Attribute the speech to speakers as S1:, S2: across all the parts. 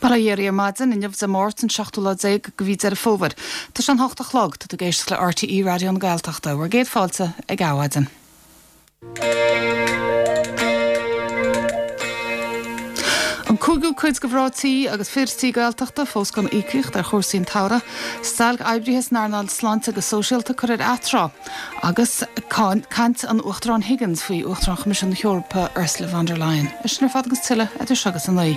S1: Bail ó Dhia oraibh ar maidin, inniu Dé Máirt an seachtú lá déag de mhí Deireadh Fómhair. Tá sé an hocht a chlog, tá tú ag éisteacht le RTÉ Raidió na Gaeltachta. Bhur gcéad fáilte ag Adhmhaidin. An cúigiú cuid de mhná tí agus fir tí Gaeltachta fós gan íocaíocht ar chúrsaí an tsamhraidh. Stailc oibrithe san earnáil sláinte agus sóisialta curtha ar atráth. Agus caint an Uachtaráin Higgins faoi Uachtarán Choimisiún na hEorpa Ursula von der Leyen. É sin ar fad agus tuilleadh idir seo agus a 9.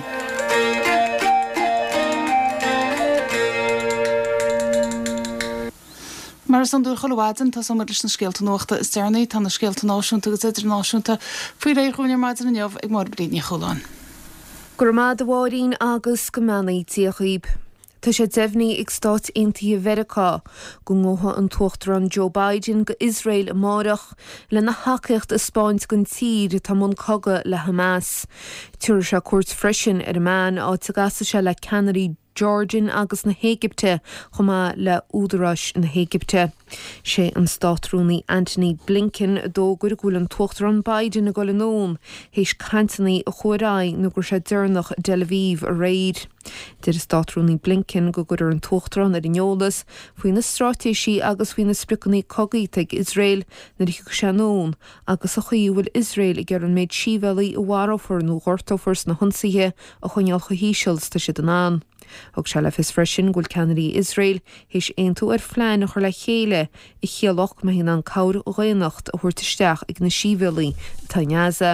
S1: Mar is iondúil chuile mhaidin, tosóidh muid leis na scéalta nuachta is deireanaí. Tá na scéalta náisiúnta agus idirnáisiúnta faoi réir dhúinn ar maidin inniu ag Máire Bríd Ní Chualáin.
S2: Go raibh maith agat a Mháirín agus go mbeannaí Dia dhaoib. Tá sé deimhnithe ag Stáit Aontaithe Mheiriceá go ngabhfaidh an tUachtarán Joe Biden go Iosrael amáireach lena thacaíocht a 'spáint don tír atá i mbun cogaidh le Hamas. Tabharfaidh sé cuairt freisin ar Amman, áit a gcasfaidh sé le ceannairí Jordan agus na hÉigipte chomh maith le údaráis na hÉigipte. Sé an Státrúnaí Antony Blinken a d'fhógair go bhfuil an tUachtarán Biden ag dul anonn théis cainteanna a chuaigh ar aghaidh nó go raibh sé deireanach i dTel Aviv aréir. Deir an Státrúnaí Blinken go gcuirfear an tUachtarán ar an eolas faoi na straitéisí agus faoi na spriocanna cogaidh atá ag Iosrael nuair a thiocfaidh sé anonn agus an chaoi a bhfuil Iosrael ag iarraidh an méid sibhialaigh a mharófar nó a ghortófar sna hionsaithe a choinneáil chomh híseal is atá siad in ann. Thug sé le fios freisin go bhfuil ceannairí Iosrael théis aontú ar phlean a chur le chéile a chiallódh go mbeifí in ann cabhair dhaonnacht a thabhairt isteach ag na sibhialaigh atá i nGaza.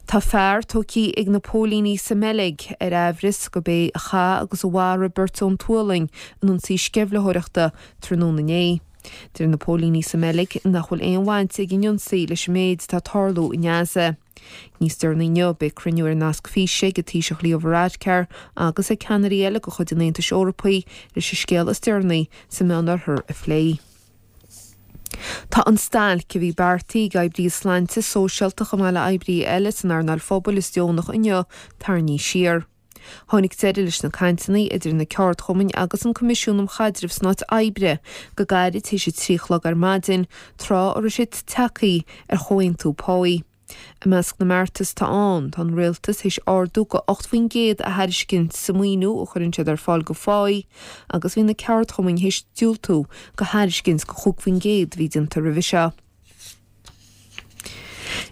S2: Tá fear tógtha ag na póilíní sa mBeilg ar aimhreas gurb é a chaith agus a mharaigh beirt ón tSualainn in ionsaí sceimhlitheoireachta tráthnóna inné. Deir na póilíní sa mBeilg nach bhfuil aon bhaint ag an ionsaí leis an méid atá ag tarlú i nGaza. Níos deireanaí inniu, beidh cruinniú ar nasc físe ag an Taoiseach Leo Varadkar agus ag ceannairí eile de chuid an Aontais Eorpaigh leis an scéal is deireanaí sa Meánoirthear a phlé. Tá an stailc a bhí beartaithe ag oibrithe sláinte, sóisialta chomh maith le oibrithe eile san earnáil phobail is deonach inniu tarraingthe siar. Tháinig deireadh leis na cainteanna idir na ceardchumainn agus an Coimisiún um Chaidreamh san Áit Oibre go gairid tar éis a 3 a chlog ar maidin, tráth a raibh siad tagtha ar chomhaontú páí. I measc na mbeartas atá ann, tá an rialtas théis ardú go 8% a thairiscint sa maoiniú a chuireann siad ar fáil go pháí agus bhí na ceardchumainn théis diúltú go thairiscint go 5% a bhí déanta roimhe seo.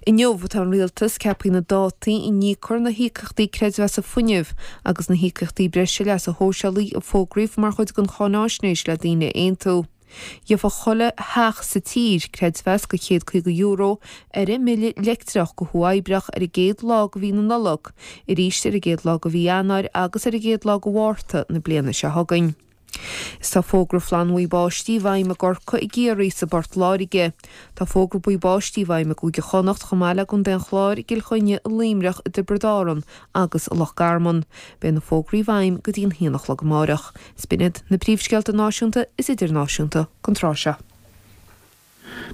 S2: Inniu atá an Rialtas ceaptha na dátaí a n-íocfar na híocaíochtaí creidmheasa fuinnimh agus na híocaíochtaí breise leasa shóisialaigh a fógraíodh mar chuid den cháináisnéis le daoine a aontú. Gheobhadh chuile theach sa tír creidmheas go €150 ar a mbille leictreach go huathoibríoch ar an gcéad lá de mhí na Nollag, arís ar an gcéad lá de mhí Eanáir agus ar an gcéad lá de Mhárta na bliana seo chugainn. Is tá fógra flannbhuí báistí i bhfeidhm i gCorcaigh, i gCiarraí is i bPort Láirge. Tá fógra buí báistí i bhfeidhm i gCúige Chonnacht chomh maith le gContae an Chláir, i gCill Chainnigh, i Luimneach, i dTiobraid Árann agus i Loch Garman. Beidh na fógraí i bhfeidhm go dtí an haon a chlog amáireach. Is b'in iad na príomhscéalta náisiúnta is idirnáisiúnta don tráth seo.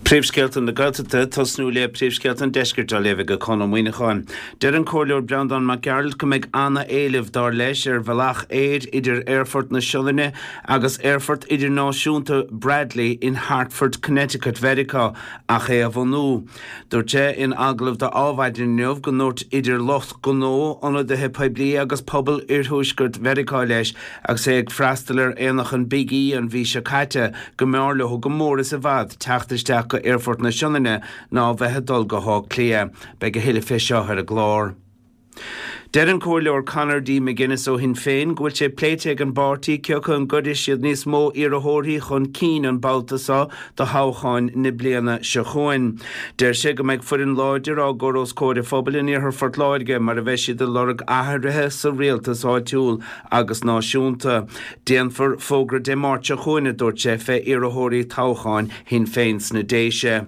S3: Príomhscéalta na Gaeltachta, Tosnú le Príomhscéalta an Deiscirt á léamh ag Conn Ó Muíneacháin. Deir an Comhairleoir Breandán Mac Gearailt go mbeidh ana-éileamh, dar leis, ar bhealach aeir idir Aerfort na Sionainne agus Aerfort Idirnáisiúnta Bradley in Hartford, Connecticut, Mheiriceá, ach é a bhunú. Dúirt sé in agallamh do Adhmhaidin inniu go ndúirt idir lucht gnó, ionadaithe poiblí agus pobal iarthuaisceart Mheiriceá leis agus é ag freastal ar aonach an Big E an mhí seo caite go mb'fhearr leo go mór is i bhfad teacht isteach go Aerfort na Sionainne ná a bheith ag dul go hÁth Cliath. Beidh a thuilleadh fé seo ar an gclár. Deir an Comhairleoir Conor D. McGuinness ó Shinn Féin go bhfuil sé pléite ag an bpáirtí cé acu an gcuirfidh siad níos mó iarrthóirí chun cinn an babhta seo do thoghcháin na bliana seo chugainn. Deir sé go mbeidh foireann láidir á gcur os comhair an phobail in iarthar Phort Láirge mar a bheidh siad ag lorg athruithe sa rialtas áitiúil agus náisiúnta. Déanfar fógra Dé Máirt seo chugainn, a dúirt sé, fé iarrthóirí toghcháin Shinn Féin sna Déise.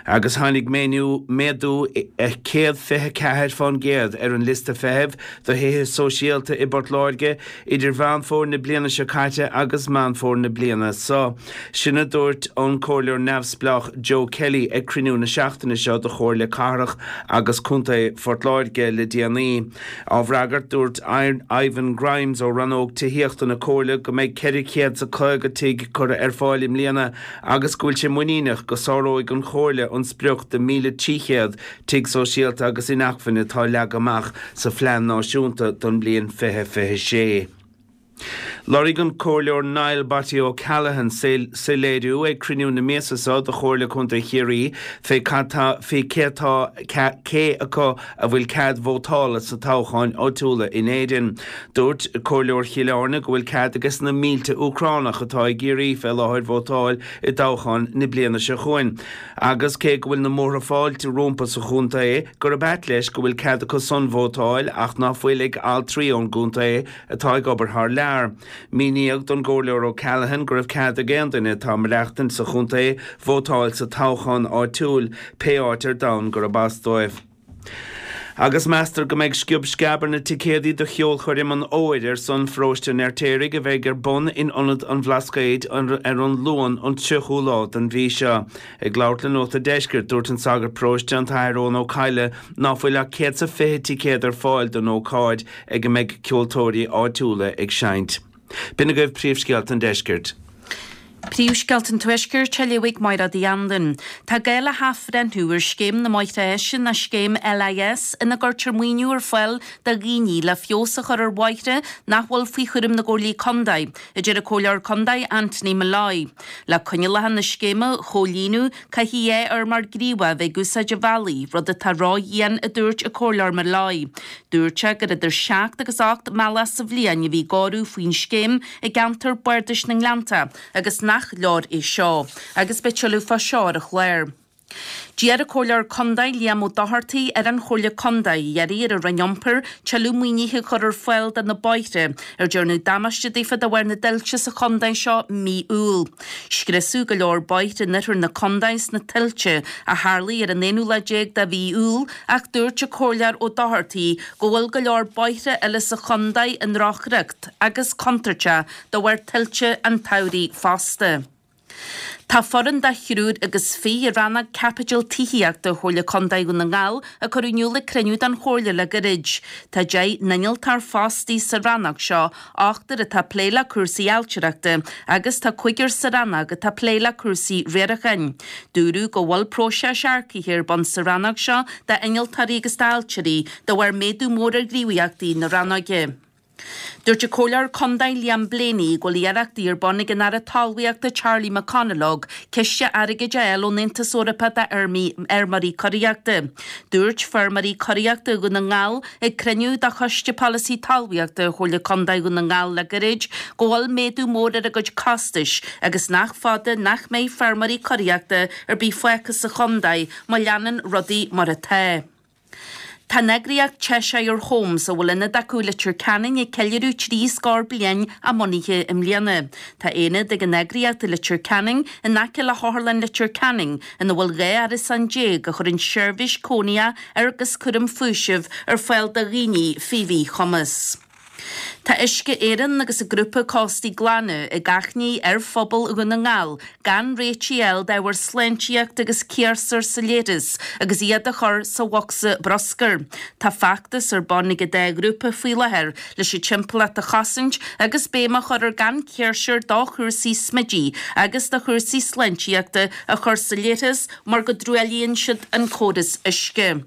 S3: Agus tháinig méadú 124 fán gcéad ar an liosta feithimh do thithe sóisialta i bPort Láirge idir Mheán Fómhair na bliana seo caite agus Meán Fómhair na bliana seo. Sin a dúirt an Comhairleoir neamhspleách Joe Kelly ag cruinniú na seachtaine seo de Chomhairle Cathrach agus Contae Phort Láirge le déanaí. Á bhfreagairt, dúirt Ivan Grimes ó Rannóg Tithíochta na Comhairle go mbeidh 450 tigh curtha ar fáil i mbliana agus go bhfuil sé muiníneach go sáróidh an Chomhairle. Chomhairle an sprioc de 1,300 tigh sóisialta agus inacmhainne atá leagtha amach sa Phlean Náisiúnta don mbliain 2026. Lorg an Comhairleoir Niall 'Botty' O'Callaghan soiléiriú ag cruinniú na míosa seo de Chomhairle Contae Chiarraí fé cad tá fé cé atá cé acu a bhfuil cead vótála sna toghcháin áitiúla in Éirinn. Dúirt Comhairleoir Chill Airne go bhfuil cead ages na mílte Úcránach atá i gCiarraí fé láthair vótáil i dtoghcháin na bliana seo chugainn. Agus cé go bhfuil na múrtha fáilte rompu sa chontae, gurb ait leis go bhfuil cead acu san vótáil ach ná fuil ag altraí ón gcontae atá ag obair thar lear. Míníodh don gComhairleoir O'Callaghan go raibh cead ag aon duine atá ag maireachtaint sa chontae vótáil sa toghchán áitiúil, pé áit ar domhan gurb as dóibh. Agus meastar go mbeidh sciob sceab ar na ticéadaí do cheolchoirm an Fhómhair ar son Pharóiste an Fheirtéaraigh a bheidh ar bun in Ionad an Bhlascaoid ar an Luan an 30ú lá den mhí seo. Ag labhairt le Nuacht an Deiscirt, dúirt an sagart paróiste, an tAthair Eoin Ó Cadhla, ná fuil ach 120 ticéad ar fáil don ócáid ag a mbeidh ceoltóirí áitiúla ag seinnt. B'in agaibh príomhscéalta an deiscirt.
S4: Príomhscéalta an Tuaiscirt á léamh ag Máire Uí Anluain. Tá gá le hathbhreithniú ar scéim na mbóithre áise nó scéim LIS ina gcuirtear maoiniú ar fáil do dhaoine le feabhas a chur ar bhóithre nach bhfuil faoi chúram na gComhairlí Contae, a deir an Comhairleoir Contae Anthony Molloy. Le coinníollacha na scéime a chomhlíonadh, caithfidh 2 fheirmeoir gníomhach a bheith ag úsáid an bhealaigh, rud atá ródhian, a dúirt an Comhairleoir Molloy. Dúirt sé gur idir seacht agus ocht mbealach sa bhliain a bhí ag áireamh faoin scéim i gceantar bardais na nGleannta agus nach leor é seo. Agus beidh tuilleadh fá seo ar an chlár. D'iarr an Comhairleoir Contae Liam Ó Dochartaigh ar an Chomhairle Contae iarraidh ar an Roinn Iompair tuilleadh maoinithe a chur ar fáil do na bóithre ar dearnadh damáiste daofa de bharr na dtuilte sa chontae seo mí Iúil. Scriosadh go leor bóithre in oirthear na contae sna tuilte a tharlaigh ar an aonú lá déag de mhí Iúil Ach dúirt an Comhairleoir Ó Dochartaigh go bhfuil go leor bóithre eile sa chontae i ndrochriocht agus contúirteach de bharr tuilte an tsamhraidh fosta. Tá foireann de thriúr agus fiche i rannóg caipitil tithíochta Chomhairle Contae Dhún na nGall a cuireadh in iúl ag cruinniú den Chomhairle le gairid. Tá 10 n-innealtóir fostaithe sa rannóg seo, ochtar atá ag plé le cúrsaí ailtireachta agus tá cúigear sa rannóg atá ag plé le cúrsaí riaracháin. Dúradh go bhfuil próiseas earcaithe ar bun sa rannóg seo d'innealtóirí agus d'ailtirí de bharr méadú mór ar ghníomhaíochtaí na rannóige. Dúirt an Comhairleoir Contae Liam Blaney go bhfuil iarrachtaí ar bun ag an Aire Talmhaíochta Charlie McConalogue ciste airgid a fháil ón Aontas Eorpach d'fheirmeoirí curaíochta. Dúirt feirmeoirí curaíochta Dhún na nGall Ag cruinniú de Choiste Polasaí Talmhaíochta Chomhairle Contae Dhún na nGall le gairid go bhfuil méadú mór ar a gcuid costais agus nach fada nach mbeidh feirmeoirí curaíochta ar bith fágtha sa chontae má leanann rudaí mar atá. Tá an eagraíocht Cheshire Homes, a bhfuil ionad acu i Leitir Ceanainn ag ceiliúradh trí scór bliain a mbunaithe i mbliana. Tá aonad ag an eagraíocht i Leitir Ceanainn in aice le hOtharlann Leitir Ceanainn ina bhfuil 12 árasán a chuireann seirbhís cónaithe agus cúram faoisimh ar fáil do dhaoine faoi mhíchumas. Tá Uisce Éireann agus an grúpa Cóstaí Glana ag achainí ar phobal Dhún na nGall gan réitigh a fháil d'ábhair sláintíochta agus ciarsúir sa leithreas agus iad a chur sa bhocsa bruscair. Tá feachtas ar bun ag an dá ghrúpa faoi láthair leis an timpeallacht a chosaint agus béim á chur ar gan ciarsúir do chúrsaí smididh agus do chúrsaí sláintíochta a chur sa leithreas mar go dtruaillíonn siad an córas uisce.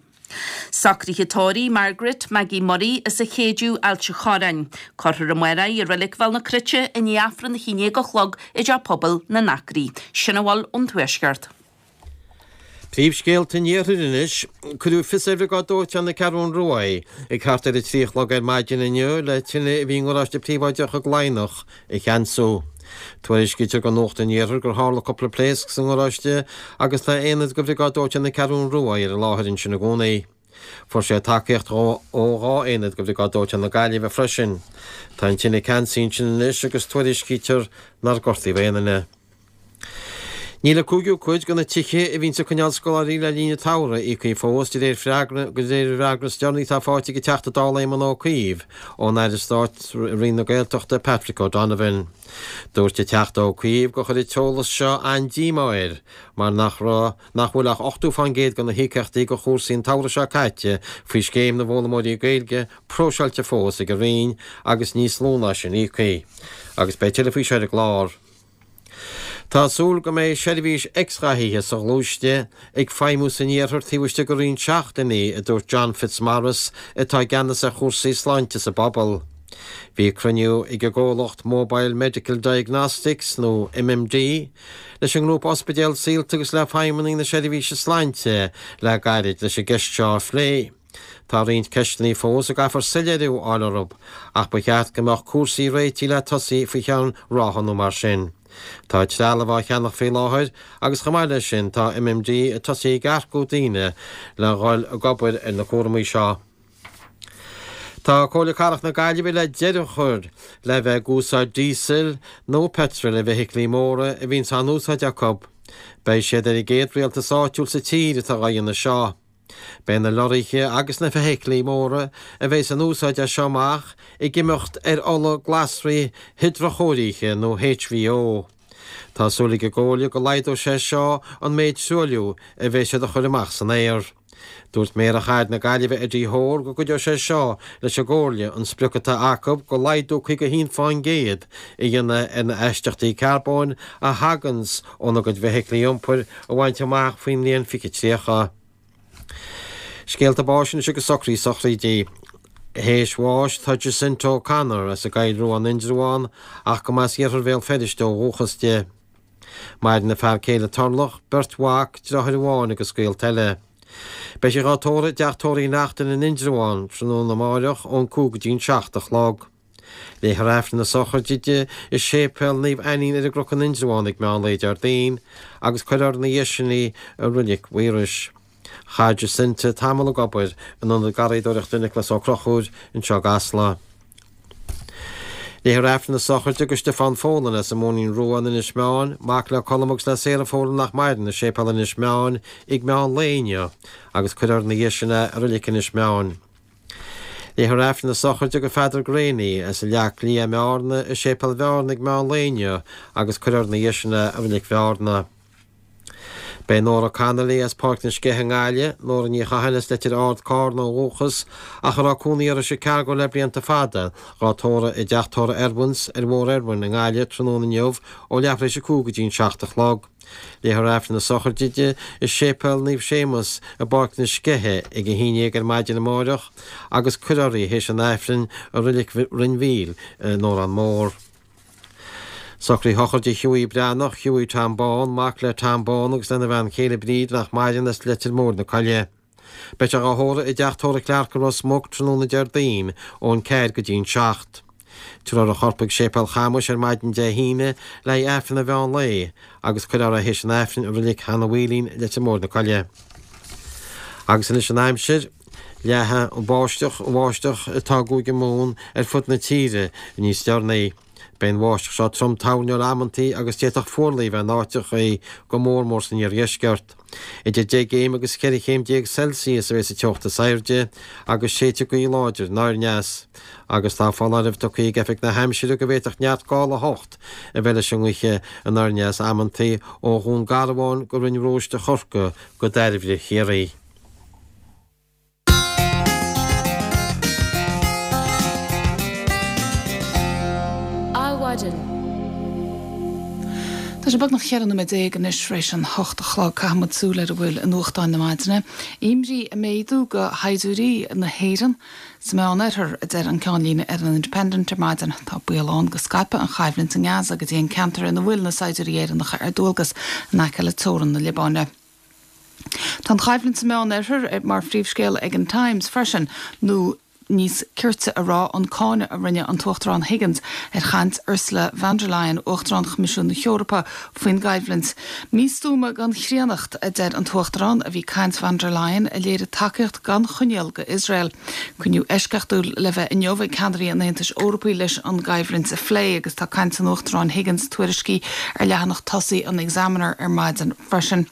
S4: Socruithe tórraimh Margaret Maggie Murray as an Chéideadh, Ailt an Chorráin. Cuirfear amárach í i Reilig Bhéal na Cruite i ndiaidh Aifreann a 11 a chlog i dTeach Pobail na nAcraí. Sin a bhfuil ón Tuaisceart.
S5: Príomhscéalta an Iarthair anois. Cuireadh fios ar Bhriogáid Dóiteáin na Ceathrún Rua ag thart ar a 3 a chlog ar maidin inniu le tine a bhí i ngaráiste príobháideach i gCladhnach a cheansú. Tuairiscítear do Nuacht an Iarthair gur tharla cúpla pléasc sa ngaráiste agus tá aonad de Bhriogáid Dóiteáin na Ceathrún Rua ar an láthair ansin i gcónaí. Fuair sé tacaíocht ó dhá aonad de Bhriogáid Dóiteáin na Gaillimhe freisin. Tá an tine ceansaithe ansin anois agus tuairiscítear nár gortaíodh aon duine. Níl an cúigiú cuid de na tithe a bhíonns ag coinneáil scoláirí le linn an tsamhraidh íoctha fós, de réir freagra de réir an fhreagra is deireanaí atá faighte ag an Teachta Dála Éamon Ó Cuív ón Aire Stáit i Roinn na Gaeltachta Patrick O'Donovan. Dúirt an Teachta Ó Cuív gur chuir an t-eolas seo an-díomá air mar nach raibh nach bhfuil ach 80% de na híocaíochtaí do chúrsaí an tsamhraidh seo caite faoi Scéim na bhFoghlaimeoirí Gaeilge próiseáilte fós ag an Roinn agus níos lú ná sin íoctha. Agus beidh tuilleadh faoi seo ar an gclár. Tá súil go mbeidh seirbhís x-ghathaithe soghluaiste ag feidhmiú san iarthar taobh istigh de roinnt seachtainí, a dúirt John Fitzmaurice atá i gceannas ar chúrsaí sláinte sa bpobal. Bhí cruinniú ag an gcomhlacht Mobile Medical Diagnostics, nó MMD, leis an ngrúpa ospidéal Saolta agus le feidhmeannaigh na seirbhíse sláinte le gairid leis an gceist seo a phlé. Tá roinnt ceisteanna fós a gcaithfear soiléiriú a fháil orthu, ach ba cheart go mbeadh cúrsaí réitithe le tosaí faoi cheann ráithe nó mar sin. Tá trealamh á cheannach faoi láthair agus chomh maith leis sin tá MMD ag tosaí ag earcú daoine le dhul ag obair ar na cúramaí seo. Tá Comhairle Cathrach na Gaillimhe le deireadh a chur le bheith ag úsáid díosail nó peitril i bhfeithiclí móra a bhíonns á n-úsáid acu. Beidh siad ar an gcéad rialtas áitiúil sa tír atá dhá dhéanamh seo. Beidh na lorraithe agus na feithiclí móra a bheas in úsáid as seo amach ag imeacht ar ola glasraí hidreachóirithe nó HVO. Tá súil ag an gComhairle go laghdóidh sé seo an méid truailliú a bheas siad a chur amach san aer. Dúirt Méara Chathair na Gaillimhe Eddie Hoare go gcuideoidh sé seo leis an gComhairle an sprioc atá acu go laghdú 51% a dhéanamh ar na astaíochtaí carbóin a thaganns óna gcuid feithiclí iompair a bhaint amach faoin mbliain 2030. Scéalta báis anois agus socruithe sochraide. Théis bháis tá Jacinta O'Connor as an gCoill Rua in Indreabhán ach go mb'as iarthar Bhéal Feirste ó dhúchas di. Maireann a fear céile Turlough, beirt mhac, deartháir amháin agus gaolta eile. Beidh sí dhá tórramh i dteach tórraimh Uí Neachtain in Indreabhán tráthnóna amáireach ón 5 go dtí an 7 a chlog. Léifear Aifreann na sochraide di i Séipéal Naomh Ainnín ar an gCnoc in Indreabhán ag meán lae Déardaoin agus cuirfear ina dhiaidh sin í i Reilig Mhaorais. Chaith Jacinta tamall ag obair in Ionad Garraíodóireachta Nioclás Ó Conchúir anseo i gCasla. Léifear Aifreann na sochraide do Stiofán Folan as an Móinín Rua in Inis Meáin, mac le Colm agus le Sarah Folan nach maireann, i Séipéal Inis Meáin ag meán lae inniu agus cuirfear ina dhiaidh sin é i Reilig Inis Meáin. Léifear Aifreann na sochraide do Pheadar Greaney as an Leac Liath i mBearna i Séipéal Bhearna ag meán lae inniu agus cuirfear ina dhiaidh sin é i Reilig Bhearna. Beidh Nóra Connolly as Páirc na Sceiche i nGaillimh, Nóra Ní Chatháin as Leitir Ard, Cárna ó dhúchas ach a raibh cónaí uirthi i Chicago le blianta fada, dhá tórramh i dteach tórraimh Irwin's ar Bhóthar Irwin i nGaillimh tráthnóna inniu ó leathuair tar éis a 5 go dtí an 7 a chlog. Léifear Aifreann na sochraide di i Séipéal Naomh Séamus i bPáirc na Sceiche ag a haon dhéag ar maidin amáireach agus cuirfear í théis an Aifrinn i Reilig Rinn Mhíl in Órán Mór. Socruithe sochraide Hughie Breathnach, Hughie Tom Bán, mac le Tom Bán agus lena bhean chéile Bríd nach maireann as Leitir Móir na Coille. Beidh sé dhá thórramh i dteach tórraimh Clarke i Ros Muc tráthnóna Déardaoin ón 4 go dtí an 7. Tabharfar a chorp chuig Séipéal Chamuis ar maidin Dé hAoine le haghaidh Aifreann an mheán lae agus cuirfear é théis an Aifrinn i Reilig Sheanadh Mhaoilín, Leitir Móir na Coille. Agus anois an aimsir. Leathfaidh an bháisteach, an bháisteach atá i gCúige Mumhan ar fud na tíre níos deireanaí. Beidh an bháisteach seo trom toirneoil amantaí agus d'fhéadfadh fuarlaigh a bheith in áiteachaí, go mór mór san iardheisceart. Idir 10 gcéim agus 14 chéim Celsius a bheidh sa teocht is airde agus séidfidh gaoth láidir anoir aneas. Agus tá foláireamh tugtha ag Oifig na hAimsire go bhféadfadh neart gála 8 a bheith leis an ngaoth anoir aneas amantaí ó Dhún Garbhán go Rinn Róiste Chorcaí go Dairbhre Chiarraí.
S1: Adhmhaidin. Tá sé beagnach 14 nóiméad anois tar éis an hocht a chlog. Caithfidh muid súil ar a bhfuil i nuachtáin na maidine. Imní ag méadú go shaighdiúirí na hÉireann sa Meán-Oirthear, a deir an ceannlíne ar an Independent ar maidin. Tá baol ann go scaipfidh an choimhlint i nGaza go dtí an ceantar ina bhfuil na saighdiúirí Éireannacha ar dualgas in aice le teorainn na Liobáine. Tá an choimhlint sa Meán-Oirthear mar phríomhscéal ag an Times freisin, nó níos cirte a rá, an cáineadh a rinne an tUachtarán Higgins ar chaint Ursula von der Leyen, Uachtarán Choimisiún na hEorpa, faoin gcoimhlint. Místuama gan chríonnacht, a deir an tUachtarán, a bhí caint von der Leyen, a léirigh tacaíocht gan choinníoll go Iosrael. Cruinniú eisceachtúil le bheith inniu ag ceannairí an Aontais Eorpaigh leis an gcoimhlint a phlé agus tá caint an Uachtaráin Higgins tuairiscithe ar leathanach tosaigh an Examiner ar maidin freisin.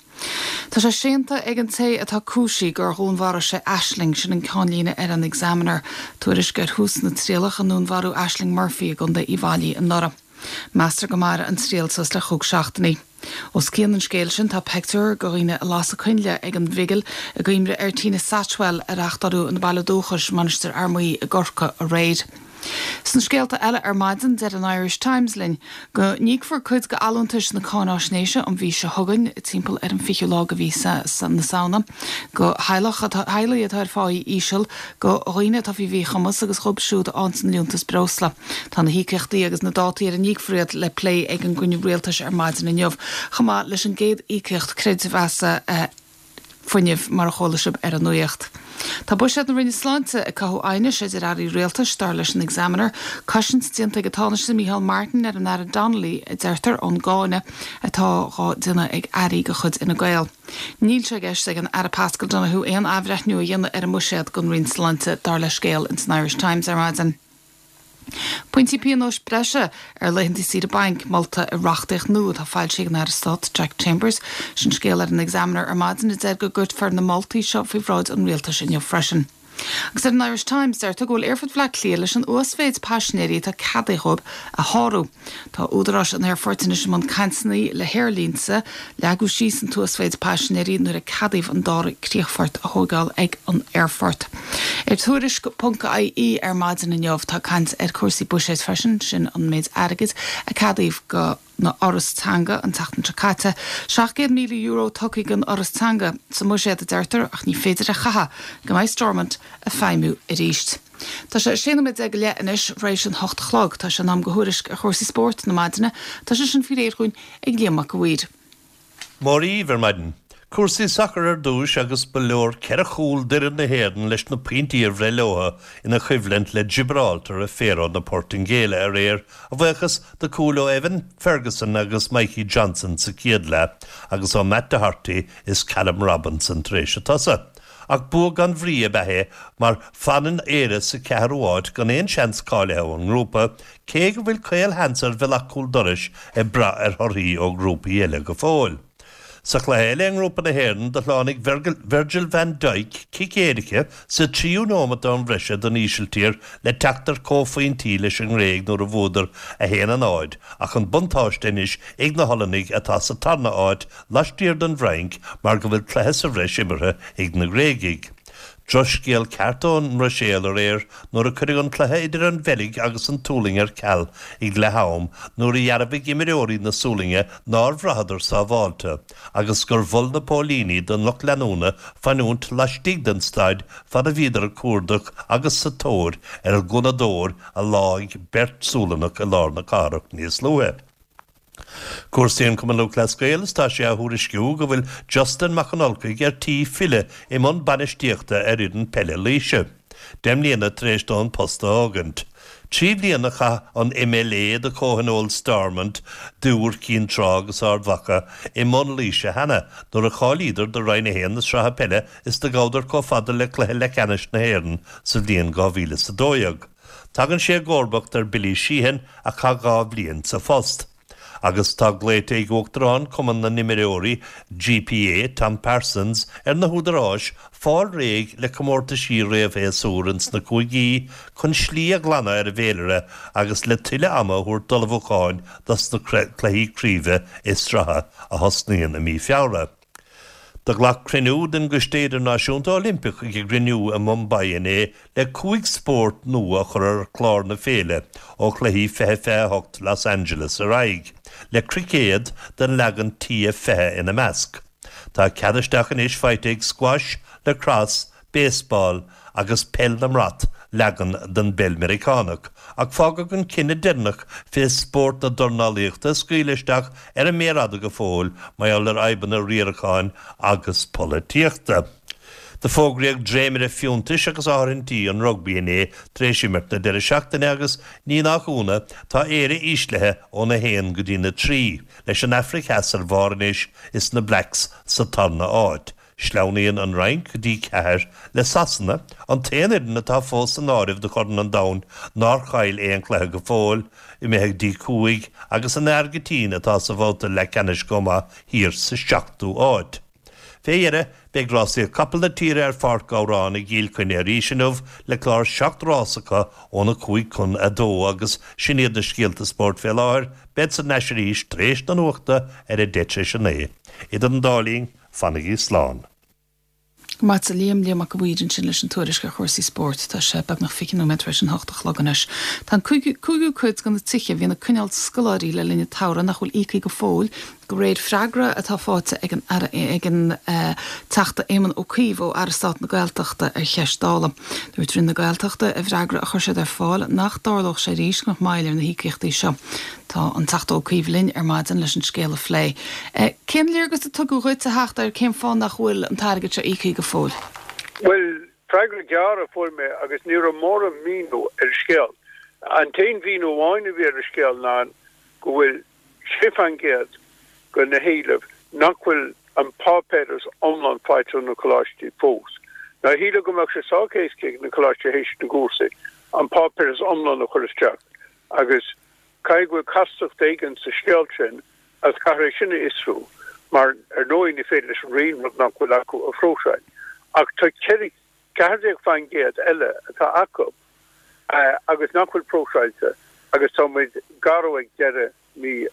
S1: Tá sé séanta ag an té atá cúisithe gur dhúnmharaigh sé Ashling, sin an ceannlíne ar an Examiner. Tuairisc ar thús na trialach i ndúnmharú Ashling Murphy i gContae Uíbh Fhailí anuraidh. Meastar go mairfidh an triail suas le chúig seachtainí. Os cionn an scéil sin tá peictiúr de dhaoine ag lasadh coinnle ag an bhigil i gcuimhne ar Tina Satchwell a reáchtáladh ina baile dúchais, Mainistir Fhear Maí i gCorcaigh, aréir. Sna scéalta eile ar maidin, deir an Irish Times linn go n-íocfar cuid de allúntais na cáináisnéise an mhí seo chugainn, timpeall ar an 20ú lá de mhí na Samhna, do theaghlach atá, theaghlaigh atá ar pháí íseal, do dhaoine atá faoi mhíchumas agus dhóibh siúd a fhaigheanns an Liúntas Breosla. Tá na híocaíochtaí agus na dátaí ar a n-íocfar iad le plé ag an gcruinniú rialtais ar maidin inniu, chomh maith leis an gcéad íocaíocht creidmheasa fuinnimh, mar a chuala sibh ar an nuacht. Tá buiséad na Roinne Sláinte ag cothú aighnis idir airí rialtais, dar leis an Examiner. Cosaint déanta ag an Tánaiste Micheál Martin ar an Aire Donnelly, a deirtear, ón gcáineadh atá dhá déanamh ag airí de chuid Fhine Gael. Níl sé i gceist ag an Aire Paschal Donohoe aon athbhreithniú a dhéanamh ar an mbuiséad don Roinn Sláinte, dar le scéal ins an Irish Times ar maidin. Pointí pionóis breise ar laethanta saoire bainc molta i reachtaíocht nua atá foilsithe ag an Aire Stáit Jack Chambers. Sin scéal ar an Examiner ar maidin a deir go gcuirfear na moltaí seo faoi bhráid an Rialtais inniu freisin. Agus ar an Irish Times deirtear go bhfuil Aerfort Bhaile Átha Cliath leis an uasmhéid paisinéirí atá ceadaithe dhóibh a shárú. Tá údaráis an aerfoirt anois i mbun cainteanna le haerlínte. Leagadh síos an t-uasmhéid paisinéirí nuair a ceadaíodh an dara críochfort a thóigeáil ag an aerfort. Ar Tuairisc ponc ie ar maidin inniu tá caint ar chúrsaí buiséid freisin, sin an méid airgid a ceadaíodh don Fhoras Teanga an tseachtain seo caite. €700,000 tugtha don Fhoras Teanga sa mbuiséad a deirtear ach ní féidir é a chaitheamh go mbeidh Stormont ag feidhmiú arís. Tá sé 16 nóiméad go leith anois tar éis an hocht a chlog. Tá sé in am do thuairisc ar chúrsaí spóirt na maidine. Tá sé sin faoi réir dhúinn ag Liam Mac a' Mhaoir.
S6: Mora dhaoibh ar maidin. Cúrsaí sacair ar dtúis agus ba leor ceithre chúl d'fhoireann na hÉireann leis na pointí a bhreith leo ina choimhlint le Gibraltar i Faro na Portaingéile aréir, a bhuíochas do chúil ó Evan Ferguson agus Mikey Johnston sa chéad leath agus ó Matt Doherty is Callum Robinson tar éis a tsosa. Ach bua gan bhrí ab ea é mar fanann Éire sa cheathrú háit gan aon seans cáilithe ón ngrúpa, cé go bhfuil caolsheans ar bhealach cúl dorais ag brath ar thorthaí ó ghrúpaí eile go fóill. Sa chluiche eile i ngrúpa na hÉireann, do shlánaigh Virgil van Dijk cic éirice sa tríú nóimeat d'am bhreise don Ísiltír le teacht ar comhphointí leis an nGréig nuair a bhuadar 1-0 ach an buntáiste anois ag na hOllannaigh atá sa tarna háit laistiar den bhFrainc mar go bhfuil cluiche sa bhreis imeartha ag na Gréagaigh. Drochscéal ceart ón mBruiséil aréir nuair a cuireadh an cluiche idir an Bheilg agus an tSualainn ar ceal ag leath-am nuair a dhearbhaigh imreoirí na Sualainne nár bhraitheadar sábháilte agus gur mhol na póilíní don lucht leanúna fanúint laistigh den staid fad a bhíodar ag cuardach agus sa tóir ar ghunnadóir a sháigh beirt Sualannach i lár na cathrach níos luaithe. Cúrsaí an Chumann Lúthchleas Gael is tá sé á thuairisciú go bhfuil Justin Mac an Ulchaigh ar tí filleadh i mbun bainistíochta ar fhoireann peile Laoise, 10 mbliana tar éis dó an post a fhágaint. 3 bhliana a chaith an MLA do Chomhthionól Stormont d'Iúr Cinn Trá agus Ard Mhacha i mbun Laoise cheana nuair a cháilíodar do Roinn 1 na Sraithe Peile is do ghabhadar chomh fada le cluiche leathcheannais na hÉireann sa bhliain 2012. Tagann sé i gcomharbacht ar Billy Sheehan a chaith 2 bhliain sa phost. Agus tá glaoite ag Uachtarán Chumann na nImreoirí, GPA, Tom Parsons, ar na húdaráis fáil réidh le comórtaisí réamhshéasúir ins na cúigí chun slí a ghlanadh ar an bhféilire agus le tuilleadh ama a thabhairt d'ullmhúcháin dos na cluichí craoibhe is sraithe a thosnaíonn i mí Feabhra. Do ghlac cruinniú den gCoiste Idirnáisiúnta Oilimpeach ag a gcruinniú i Mumbai inné le 5 spórt nua a chur ar chlár na féile ó chluichí 2028 Los Angeles ar aghaidh, le cruicéad den leagan TF20 ina measc. Tá cead isteach anois faighte ag squash, lacrosse, baseball agus peil na mbrat, leagan den bpeil Meiriceánach, ach fágadh an cinneadh deireanach fé spórt na dornálaíochta a scaoileadh isteach ar an méar fhada go fóill mar gheall ar fhadhbanna riaracháin agus polaitíochta. Do fógraíodh dréimire fiúntais agus áirithintí an rugbaí inné tar éis imirt na deireadh seachtaine agus, ní nach ionadh, tá Éire íslithe óna haon go dtína trí, leis an Afraic Theas ar bharr anois is na Blacks sa tarna áit. Sleamhnaíonn an Fhrainc go dtí ceathair, le Sasana, an t-aon fhoireann atá fós san áireamh do Chorn an Domhain nár chaill aon chluiche go fóill, imithe go dtí cúig agus an Airgintín, atá sa bhabhta leathcheannais chomh maith, thiar sa seachtú háit. Fé dheireadh, beidh rásaíocht capall na tíre ar Pháirc Ghabhráin i gCill Chainnigh arís inniu le clár seacht rás acu óna cúig chun a dó agus sin iad na scéalta spóirt fé láthair. Bead thar n-ais arís tar éis na nuachta ar a deich tar éis a naoi. Idir an dá linn, Fanaigí slán.
S1: Go raibh maith agat a Liam, Liam Mac a' Mhaoir ansin leis an tuairisc ar chúrsaí spóirt. Tá sé beagnach 20 nóiméad tar éis an hocht a chlog anois. Tá an cúigiú cuid de na tithe a bhíonn ag coinneáil scoláirí le linn an tsamhraidh nach bhfuil íoctha go fóill, de réir freagra atá faighte ag an Aire ag an Teachta Éamon Ó Cuív ó Aire Stáit na Gaeltachta ar cheist Dála. Dúirt Roinn na Gaeltachta i bhfreagra a chuir siad ar fáil nach dtarlódh sé arís go mbeadh moill ar na híocaíochtaí seo. Tá an Teachta Ó Cuív linn ar maidin leis an scéal a phlé. Cén léargas a tugadh dhuit, a Theachta, ar cén fáth nach bhfuil an t-airgead seo íoctha go fóill?
S7: Bhuel, freagra gearr a fuair mé agus ní raibh mórán míniú ar an scéal. An t-aon mhíniú amháin a bhí ar an scéal ná go bhfuil 6% de na héilimh nach bhfuil an páipéaras iomlán faighte ó na coláistí fós. Now shílfeá go mbeadh sé sách éasca ag na coláistí théis na gcúrsaí an páipéaras iomlán a chur isteach agus caithfidh go bhfuil castacht éigin sa scéal sin agus caithfear é sin a fhiosrú mar ar ndóigh ní féidir leis an Roinn rud nach bhfuil acu a phróiseáil. Ach tá 14% eile atá acu agus nach bhfuil próiseáilte agus tá muid gar ag deireadh mí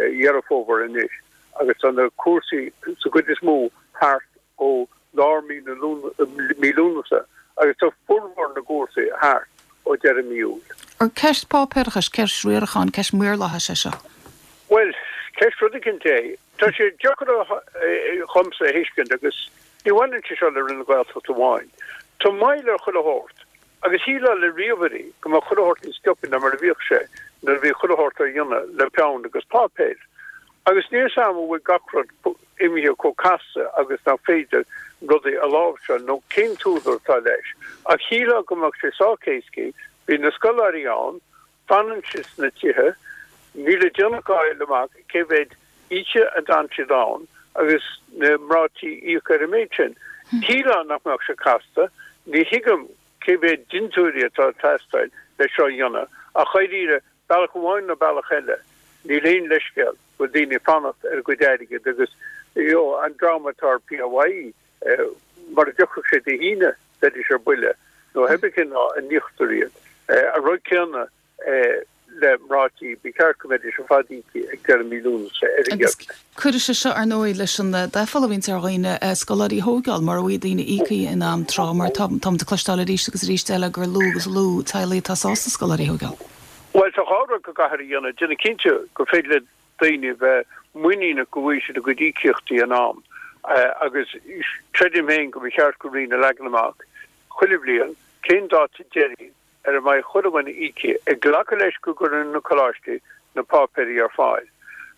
S7: Dheireadh Fómhair anois agus tá na cúrsaí sa gcuid is mó thart ó lár mí na mí Lúnasa agus tá formhór na gcúrsaí thart ó deireadh mí Iúil.
S1: Ar ceist páipéarachais, ceist riaracháin, ceist maorlathais é seo?
S7: Bhuel, ceist rud eicínt é. Tá sé deacair dhomsa a thuiscint agus ní bhaineann sé seo le Roinn na Gaeltachta amháin. Tá moill ar chuile shórt agus shílfeá le ríomhairí go mbeadh chuile shórt níos sciobtha ná mar a bhíodh sé nuair a bhí chuile shórt á dhéanamh le peann agus páipéar. Agus níl 'fhios a'm an bhfuil gach rud imithe chomh casta agus nach féidir rudaí a láimhseáil nó cén t-údar atá leis. Ach shílfeá go mbeadh sé sách éascaí, bíonn na scoláirí ann, Fanann siad sna tithe. Níl le déanamh ach a fháil amach cé mhéad oíche a d'fhan siad ann agus na mná tí íoc ar an méid sin. Shílfeá nach mbeadh sé casta. Ní thuigim cé mhéad dintiúirí atá ag teastáil le seo a dhéanamh. Ach dháiríre, bealach amháin nó bealach eile, níl aon leithscéal go bhfuil daoine ag fanacht ar a gcuid airgid agus you know an dream atá ar PAYE, mura dtiocfadh sé Dé hAoine, bheidís ar buile, nó pé ar bith cén lá a n-íoctar iad. An rud céanna le mná tí, ba cheart go mbeidís ar fad íoctha ag deireadh mí Lúnasa ar
S1: an
S7: gcéad.
S1: Agus cuirfidh sé seo, ar ndóigh, leis an dtaifeall a bhíonns ar dhaoine scoláirí a thóigeáil, mura bhfaighidh daoine íoctha in am tráth, mar tá táimid ag cloisteáil arís agus arís eile gur lú agus lú teaghlaigh atá sásta scoláirí a thóigeáil.
S7: Bhuel, tá dhá rud go gcaithfear a dhéanamh, déanamh cinnte gur féidir le daoine bheith muiníneach go bhfaighidh siad a gcuid íocaíochtaí in am agus creidim féin go mba cheart don Roinn a leagan amach chuile bhliain cén dáta deiridh ar a mbeidh chuile dhuine íoctha, ag glacadh leis go gcuireann na coláistí na páipéirí ar fáil.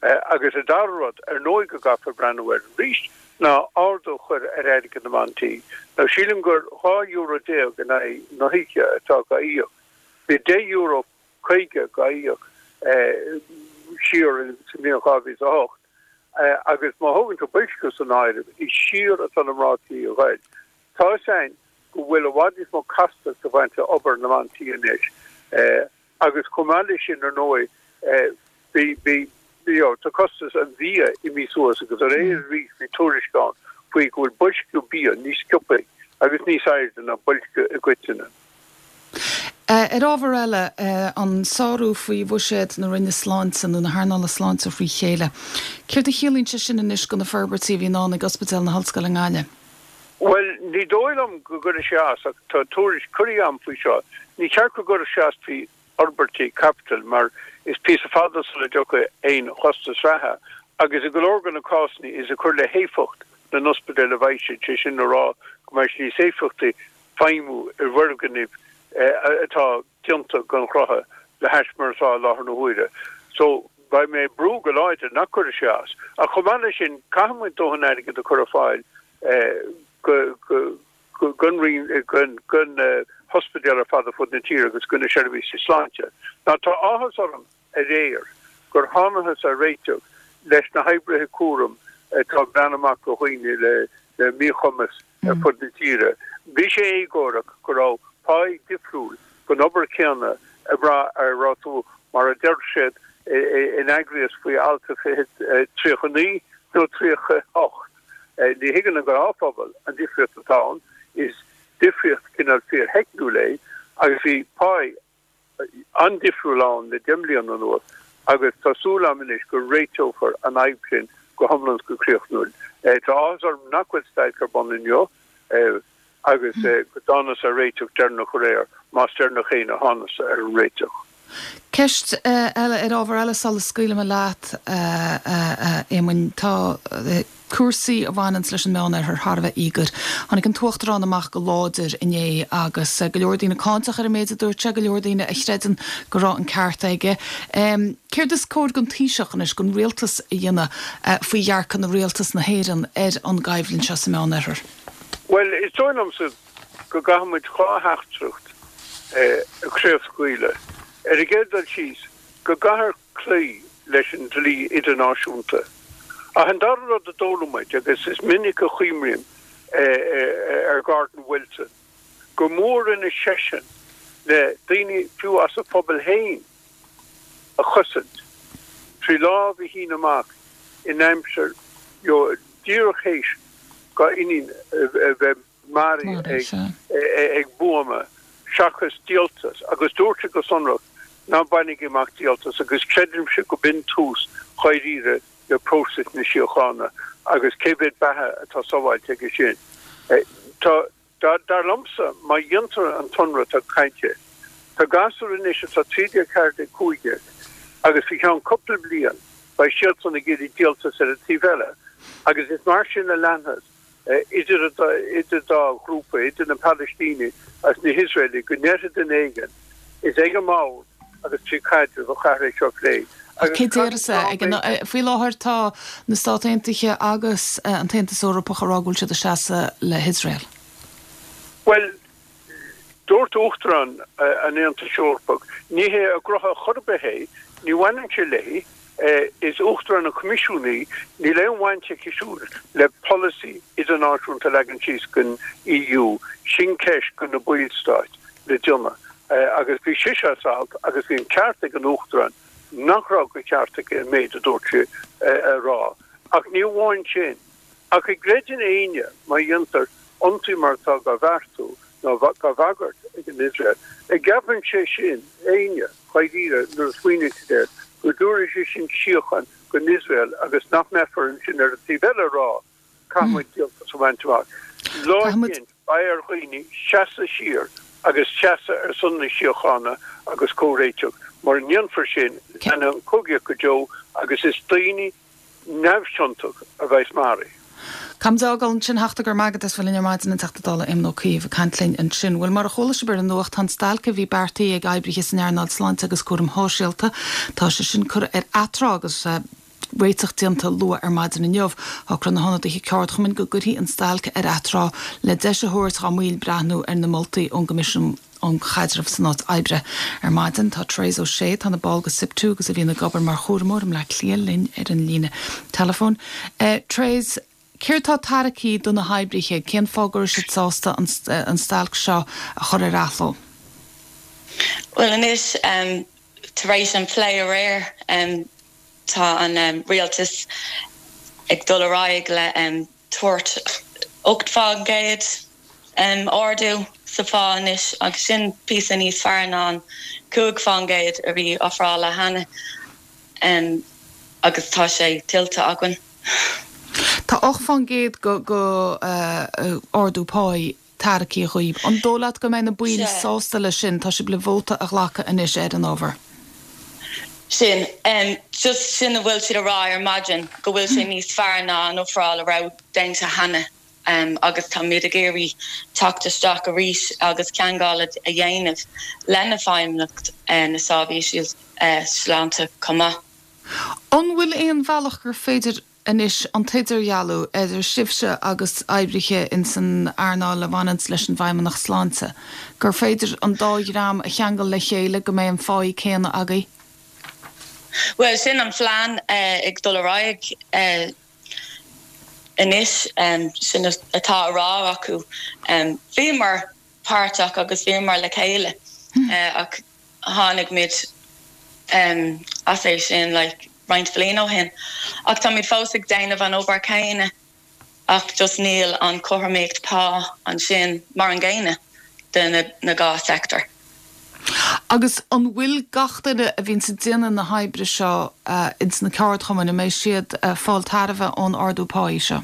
S7: Agus an dara rud, ar ndóigh, go gcaithfear breathnú air arís ná ardú a chur ar airgead na mban tí. Now sílim gur €12 euro in aghaidh na hoíche atá á íoc. Bhí €10 50 á íoc siar sa mbliain 2008 agus má thógann tú boilsciú san áireamh, is siar atá na mná tí a ghoil. Tá fhios a'inn go bhfuil i bhfad níos mó castacht ag baint le obair na mban tí anois agus chomh maith leis sin ar ndóigh bhí, bhí, you know, tá costas an bhia imithe suas agus aréir arís bhí tuairisc ann faoi go bhfuil boilsciú bia níos sciobtha agus níos airde ná boilsciú i gcoitinne.
S1: Ar ábhar eile, an sárú faoi bhuiséad na Roinne Sláinte, nó na hearnála sláinte frí chéile. Céard a chiallaíonn sé sin anois do na forbairtí a bhí i ndán ag Ospidéal na hOllscoile i nGaillimh?
S7: Bhuel, ní dóigh liom go gcuirfidh sé as, ach tá tuairisc curtha agam faoi seo. Ní cheart go gcuirfeadh sé as faoi fhorbairtí caipitil mar is píosa fada sula dtiocfaidh aon chostas reatha agus i go leor de na cásanna is ag cur le héifeacht na n-ospidéal a bheidh siad, sé sin le rá go mbeidh sé níos éifeachtaí feidhmiú i bhfoirgnimh atá déanta den chruth le hais mar atá i láthair na huaire. So, beidh mé ag brú go láidir nach gcuirfidh sé as. Ach chomh maith leis sin, caithfidh muid dóthain airgid a chur ar fáil go, go, gon Roinn, gon hospidéal ar fad ar fud na tíre agus go na seirbhísí sláinte. Now tá áthas orm aréir gur thánathas ar réiteach leis na hoibrithe cúraim atá ag breathnú amach do dhaoine le míchumas ar fud na tíre. Bhí sé éagórach go raibh páí difriúil don obair chéanna ag brath ar raibh tú, mar a deir siad, in eagraíocht faoi alt 39 nó 38. Ní thuigeann an gnáthphobal an difríocht atá ann, is difríocht cineál fíortheicniúil é agus bhí páí an-difriúil ann le 10 mbliana anuas agus tá súil agam anois go réiteofar an fhadhb sin. Go hiomlán is go críochnúil. Tá áthas orm nach bhfuil stailc ar bun inniu agus go dtánas ar réiteach deireanach aréir, más deireanach fhéin a thánas ar an réiteach.
S1: Ceist eile ar ábhar eile sula scaoilfidh mé leat, a Éamoinn. Tá cúrsaí a bhaineanns leis an Meánoirthear thar a bheith íogair. Tháinig an tUachtarán amach go láidir inné agus go leor daoine cáinteach ar an méid a dúirt sé, go leor daoine a chreideann go raibh an ceart aige. Céard is cóir don Taoiseach anois, don rialtas a dhéanamh faoi dhearcadh na rialtas na hÉireann ar an gcoimhlint seo sa Meánoirthear?
S7: Bhuel, is dóigh liomsa go gcaithfidh muid dhá theachtaireacht a chraobhscaoileadh. Ar an gcéad dul síos, go gcaithfear cloí leis an dlí idirnáisiúnta. Ach an dara rud a d'fhoghlaim muid, agus is minic a chuimrím ar Gordon Wilson, gur mó a rinne seisean le daoine, fiú as a phobal féin, a chosaint, trí lámh a shíneadh amach in aimsir, díreach théis dá iníon a bheith maraithe ag buama seachas díoltas agus dúirt sé go sonrach ná bainigí amach díoltas agus creidimse go b'in tús dháiríre le próiseas na síochána agus cé mhéad beatha atá sábháilte aige sin. Tá, dar liomsa, má dhéantar an t-ionradh atá cainte, tá gasúir anois atá 13, 14, 15 agus faoi cheann cúpla bliain beidh siadsan ag iarraidh díoltas ar an taobh eile agus is mar sin a leanfas idir idir dá ghrúpa, idir na Palaistínigh agus na hIosraelaigh, go ndéarfaidh duine éigin, is ag an mbord agus trí chaidreamh a chaithfear é seo a phlé.
S1: Ach cé déarfas é? Ag an, faoi láthair tá na Stáit Aontaithe agus an tAontas Eorpach ag rá go bhfuil siad ag seasamh le hIosrael.
S7: Bhuel, Dúirt Uachtarán an Aontais Eorpaigh, ní hé a gnoithe chor ar bith é, ní bhaineann sé léi, is Uachtarán an Choimisiúin í, níl aon bhaint aici siúd le polasaí idirnáisiúnta a leagan síos don EU, sin ceist do na ballstáit le déanamh. Agus bhí sise as alt agus bhí an ceart ag an Uachtarán nach raibh de cheart aici an méid a dúirt sí a rá. Ach ní amháin sin. Ach an gcreideann éinne, má dhéantar ionsaí mar atá dhá bheartú nó dhá bhagairt ag an Iosrael, an gceapann sé sin, éinne, dháiríre, nuair a smaoiníonn siad air, go dtabharfaidh sé sin síocháin don Iosrael agus nach mbeifear ansin ar an taobh eile ag rá, caithfidh muid díoltas a bhaint amach. Lá éigin, beidh ar dhaoine seasamh siar agus seasamh ar son na síochána agus comhréiteach. Mura ndéanfar sin, leanfaidh an chogaíocht go deo agus is daoine neamhchiontach a bheas maraithe.
S1: Caithfimid a fhágáil ansin, a Theachta, go raibh maith agat as bheith linn ar maidin, an Teachta Dála Éamon Ó Cuív ag caint linn ansin. Bhuel, mar a chuala sibh ar an nuacht, tá an stailc a bhí beartaithe ag oibrithe san earnáil sláinte agus cúraim shóisialta, tá sé sin curtha ar atráth agus réiteach déanta luath ar maidin inniu. Shocraigh na hionadaithe ceardchumainn go gcuirfí an stailc ar atráth le deis a thabhairt dhá mbaill breathnú ar na moltaí ón gCoimisiún um Chaidreamh san Áit Oibre. Ar maidin, tá Therese O'Shea, atá ina ball de SIPTU agus a bhíonn ag obair mar chúramóir i mBleá Cliath, linn ar an líne teileafóin. Therese, céard atá tarraicthe do na hoibrithe? Cén fáth go raibh siad sásta an stailc seo a chur ar athló?
S8: Bhuel anois, tar éis an phlé aréir, tá an rialtas ag dul ar aghaidh le tabhairt 8% ardú sa phá anois agus sin píosa níos fearr ná an 5% a bhí ofráilte cheana agus tá sé tuillte againn.
S1: Tá 8% go ardú páí tarraicthe dhaoib. An dóigh leat go mbeidh na baill sásta leis sin? Tá sibh le vóta a ghlacadh anois ar an ábhar.
S8: Sin. Just sin a bhfuil siad a rá ar maidin, go bhfuil sé níos fearr ná an ofráil a raibh déanta cheana agus táimid ag iarraidh teacht isteach arís agus teagmháil a dhéanamh le na Feidhmeannacht na Seirbhísí Sláinte chomh maith.
S1: An bhfuil aon bhealach gur féidir anois an t-idirdhealú idir sibhse agus oibrithe ins an earnáil a bhaineanns leis an bhFeidhmeannacht Sláinte, gur féidir an dá dhream a cheangal le chéile, go mbeidh an pháí céanna agaibh?
S8: Bhuel, sin an phlean ag dul ar aghaidh anois, sin atá á rá acu. Bhíomar páirteach agus bhíomar le chéile ach tháinig muid as é sin like roinnt bhliain ó shin. Ach táimid fós ag déanamh an obair céanna ach just níl an cothromaíocht pá ansin mar an gcéanna do na dhá sector.
S1: Agus an bhfuil gach duine a bhíonns ag déanamh na hoibre seo ins na ceardchumainn, an mbeidh siad ag fáil tairbhe ón ardú páí seo?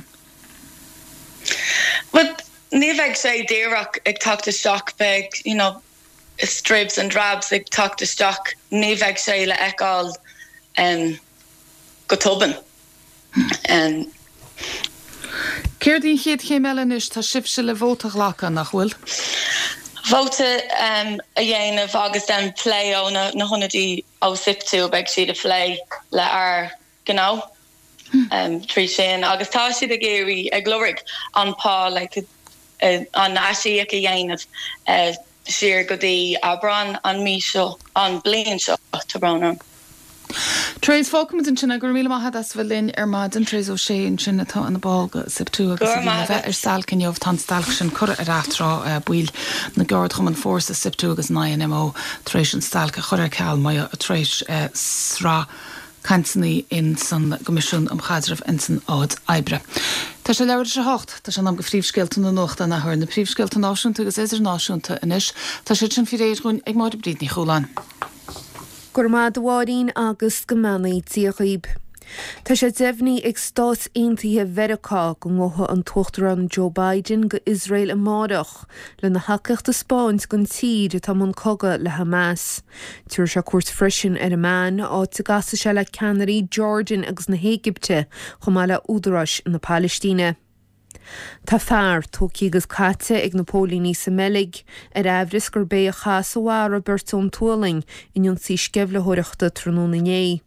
S8: Bhuel, ní bheidh sé díreach ag teacht isteach, beidh, you know, dribs and drabs ag teacht isteach, ní bheidh sé le feiceáil go tobann.
S1: Céard í an chéad chéim eile anois? Tá sibhse le vóta a ghlacadh, nach bhfuil?
S8: Vóta a dhéanamh agus then plé ó na hionadaí ó SIPTU, beidh siad ag plé le ár ngnó trí sin agus tá siad ag iarraidh, ag lorg an pá like an aisíoc a dhéanamh siar go dtí Aibreán an mí seo, an bliain seo, tá brón orm.
S1: Therese, fágfaimid ansin é. Go raibh míle maith agat as a bheith linn ar maidin. Therese O'Shea ansin atá ina ball de SIPTU agus a bhí le bheith ar stailc inniu. Tá an stailc sin curtha ar atráth. Baill na gceardchumann Fórsa, SIPTU agus an INMO tar éis an stailc a chur ar ceal mar tar éis sraith cainteanna ins an gCoimisiún um Chaidreamh ins an Áit Oibre. Tá sé leathuair tar éis a hocht. Tá sé in am do phríomhscéalta na nuachta an athuair. Na príomhscéalta náisiúnta agus idirnáisiúnta anois. Tá siad sin faoi réir dhúinn ag Máire Bríd Ní Chualáin.
S2: Go raibh maith agat a Mháirín agus go mbeannaí Dia dhaoib. Tá sé deimhnithe ag Stáit Aontaithe Mheiriceá go ngabhfaidh an tUachtarán Joe Biden go Iosrael amárach lena thacaíocht a 'spáint don tír atá i mbun cogadh le Hamas. Tabharfaidh sé cuairt freisin ar Amman, áit a gcasfaidh sé le ceannairí Jordan agus na hÉigipte chomh maith le údaráis na Palaistíne. Tá fear tógtha agus caite ag na póilíní sa mBeilg, ar aimhreas gurb é a chaith is a mharaigh beirt ón tSualainn in ionsaí sceimhlitheoireachta tráthnóna inné.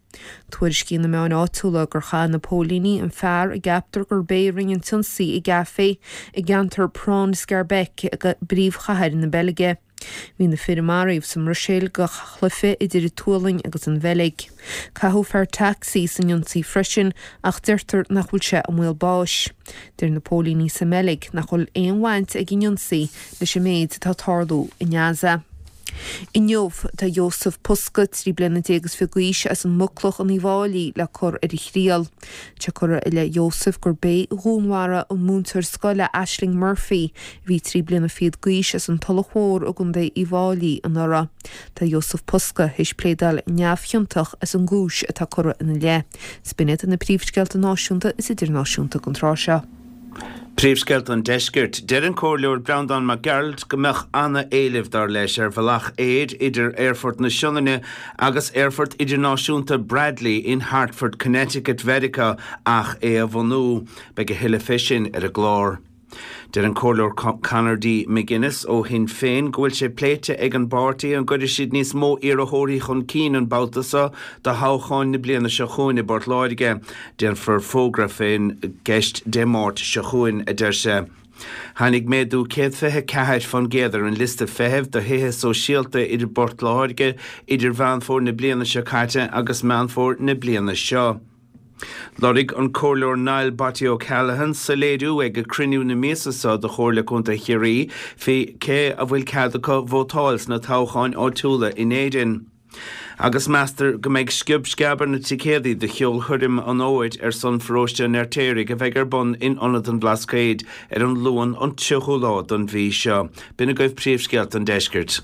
S2: Tuairiscíonn na meáin áitiúla gur chaith na póilíní an fear a gceaptar gurb é a rinne an t-ionsaí i gcaifé i gceantar Praan-Schaerbeek i bpríomhchathair na Beilge. Bhí na fir a maraíodh sa mBruiséil do chluiche idir an tSualainn agus an Bheilg. Caitheadh fear tacsaí san ionsaí freisin ach deirtear nach bhfuil sé i mbaol báis. Deir na póilíní sa mBeilg nach bhfuil aon bhaint ag an ionsaí leis an méid atá ag tarlú i nGaza. Inniu, tá Jozef Puska, 13 bliana is fiche d'aois, as an Muclach in Uíbh Fháilí le cur ar a thriail. Tá curtha i leith Jozef gurb é a dhúnmharaigh an múinteoir scoile Ashling Murphy, a bhí 3 bliana fichead d'aois as an Tulach Mhór i gContae Uíbh Fháilí anuraidh. Tá Jozef Puska théis pléadáil neamhchiontach as an gcúis atá curtha ina leith. 'S b'in iad na príomhscéalta náisiúnta is idirnáisiúnta don tráth seo.
S3: Príomhscéalta an Deiscirt. Deir an Comhairleoir Breandán Mac Gearailt go mbeadh ana-éileamh, dar leis, ar bhealach aeir idir Aerfort na Sionainne agus Aerfort Idirnáisiúnta Bradley in Hartford, Connecticut, Mheiriceá ach é a bhunú. Beidh a thuilleadh fé sin ar an gclár. Deir an Comhairleoir Conor D. McGuinness ó Shinn Féin go bhfuil sé pléite ag an bpáirtí an gcuirfidh siad níos mó iarrthóirí chun cinn an babhta seo do thoghcháin na bliana seo chugainn i bPort Láirge. Déanfar fógra fén gceist Dé Máirt seo chugainn, a deir sé. Tháinig méadú 124% ar an liosta feithimh do thithe sóisialta i bPort Láirge idir Mheán Fómhair na bliana seo caite agus Meán Fómhair na bliana seo. Lorg an Comhairleoir Niall 'Botty' O'Callaghan soiléiriú ag cruinniú na míosa seo de Chomhairle Contae Chiarraí faoi cé a bhfuil cead acu vótáil sna toghcháin áitiúla in Éirinn. Agus meastar go mbeidh sciob sceab ar na ticéadaí do cheolchoirm an Fhómhair ar son Pharóiste an Fheirtéaraigh a bheidh ar bun in Ionad an Bhlascaoid ar an Luan an 30ú lá don mhí seo. B'in agaibh príomhscéalta an deiscirt.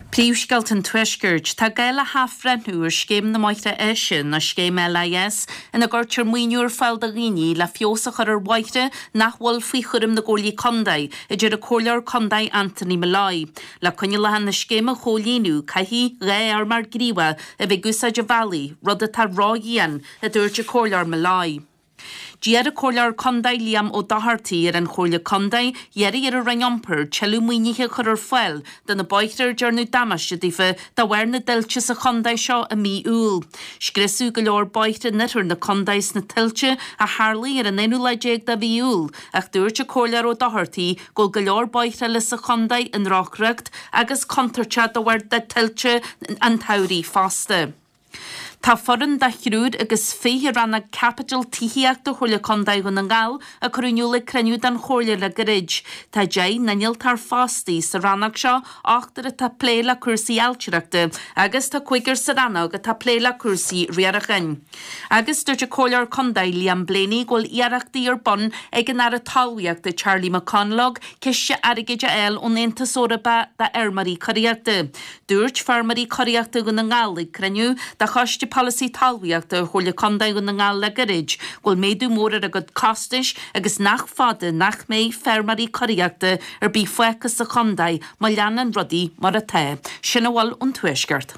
S4: Príomhscéalta an Tuaiscirt. Tá gá le hathbhreithniú ar Scéim na mBóithre Áise, nó Scéim LIS, ina gcuirtear maoiniú ar fáil do dhaoine le feabhas a chur ar bhóithre nach bhfuil faoi chúram na gComhairlí Contae, a deir an Comhairleoir Contae Anthony Molloy. Le coinníollacha na scéime a chomhlíonadh, caithfidh 2 fheirmeoir gníomhach a bheith ag úsáid an bhealaigh, rud atá ródhian, a dúirt an Comhairleoir Molloy. D'iarr an Comhairleoir Contae Liam Ó Dochartaigh ar an Chomhairle Contae iarraidh ar an Roinn Iompair tuilleadh maoinithe a chur ar fáil do na bóithre ar dearnadh damáiste daofa de bharr na dtuilte sa chontae seo i mí Iúil. Scriosadh go leor bóithre in oirthear na contae sna tuilte a tharlaigh ar an aonú lá déag de mhí Iúil ach dúirt an Comhairleoir Ó Dochartaigh go bhfuil go leor bóithre eile sa chontae i ndrochriocht agus contúirteach de bharr tuilte an tsamhraidh fosta. Tá foireann de thriúr agus 20 rannóg caipitil tithíochta Chomhairle Contae Dhún na nGall a cuireadh in iúl ag cruinniú den Chomhairle le gairid. Tá 10 n-innealtóir fostaithe sa rannóg seo, ochtar atá ag plé le cúrsaí ailtireachta agus tá cúigear sa rannóg atá ag plé le cúrsaí riaracháin. Agus dúirt an Comhairleoir Contae Liam Blaney go bhfuil iarrachtaí ar bun ag an Aire Talmhaíochta Charlie McConalogue ciste airgid a fháil ón Aontas Eorpach do fheirmeoirí curaíochta. Dúirt feirmeoirí curaíochta Dhún na nGall ag cruinniú de Choiste Polasaí Talmhaíochta Chomhairle Contae Dhún na nGall le gairid go bhfuil méadú mór ar a gcuid costais agus nach fada nach mbeidh feirmeoirí curaíochta ar bith fágtha sa chontae má leanann rudaí mar atá. Sin a bhfuil ón Tuaisceart.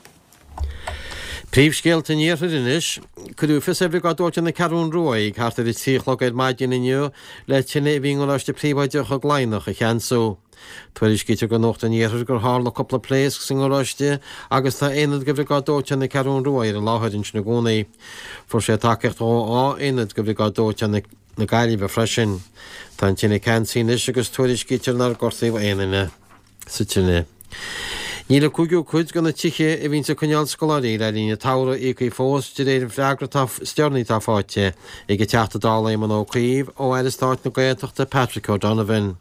S5: Príomhscéalta an Iarthair anois. Cuireadh fios ar Bhriogáid Dóiteáin na Ceathrún Rua ag thart ar a 3 a chlog ar maidin inniu le tine a bhí i ngaráiste príobháideach i gCladhnach a cheansú. Tuairiscítear do Nuacht an Iarthair gur tharla cúpla pléasc sa ngaráiste agus tá aonad de Bhriogáid Dóiteáin na Ceathrún Rua ar an láthair ansin i gcónaí. Fuair sé tacaíocht ó 2 aonad de Bhriogáid Dóiteáin na Gaillimhe freisin. Tá an tine ceansaithe anois agus tuairiscítear nár gortaíodh aon duine. sa tine. Níl an cúigiú cuid de na tithe a bhíonns ag coinneáil scoláirí le linn an tsamhraidh íoctha fós de réir an freagra atá is deireanaí atá faighte ag an Teachta Dála Éamon Ó Cuív ó Aire Stáit na Gaeltachta Patrick O'Donovan.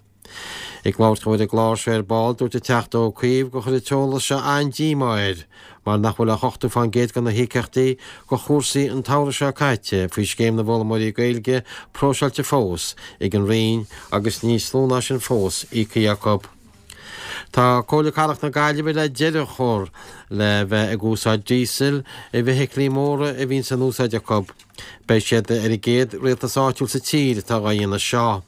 S5: Ag labhairt dó ar an gclár seo ar ball dúirt an Teachta Ó Cuív gur chuir an t-eolas seo an-díomá air mar nach bhfuil ach 80% de na híocaíochtaí do chúrsaí an tsamhraidh seo caite faoi Scéim na bhFoghlaimeoirí Gaeilge próiseáilte fós ag an Roinn agus níos lú ná sin fós íoctha acu. Tá Comhairle Cathrach na Gaillimhe le deireadh a chur le bheith ag úsáid díosail i bhfeithiclí móra a bhíonns in úsáid acu. Beidh siad ar an gcéad rialtas áitiúil sa tír atá dhá dhéanamh seo.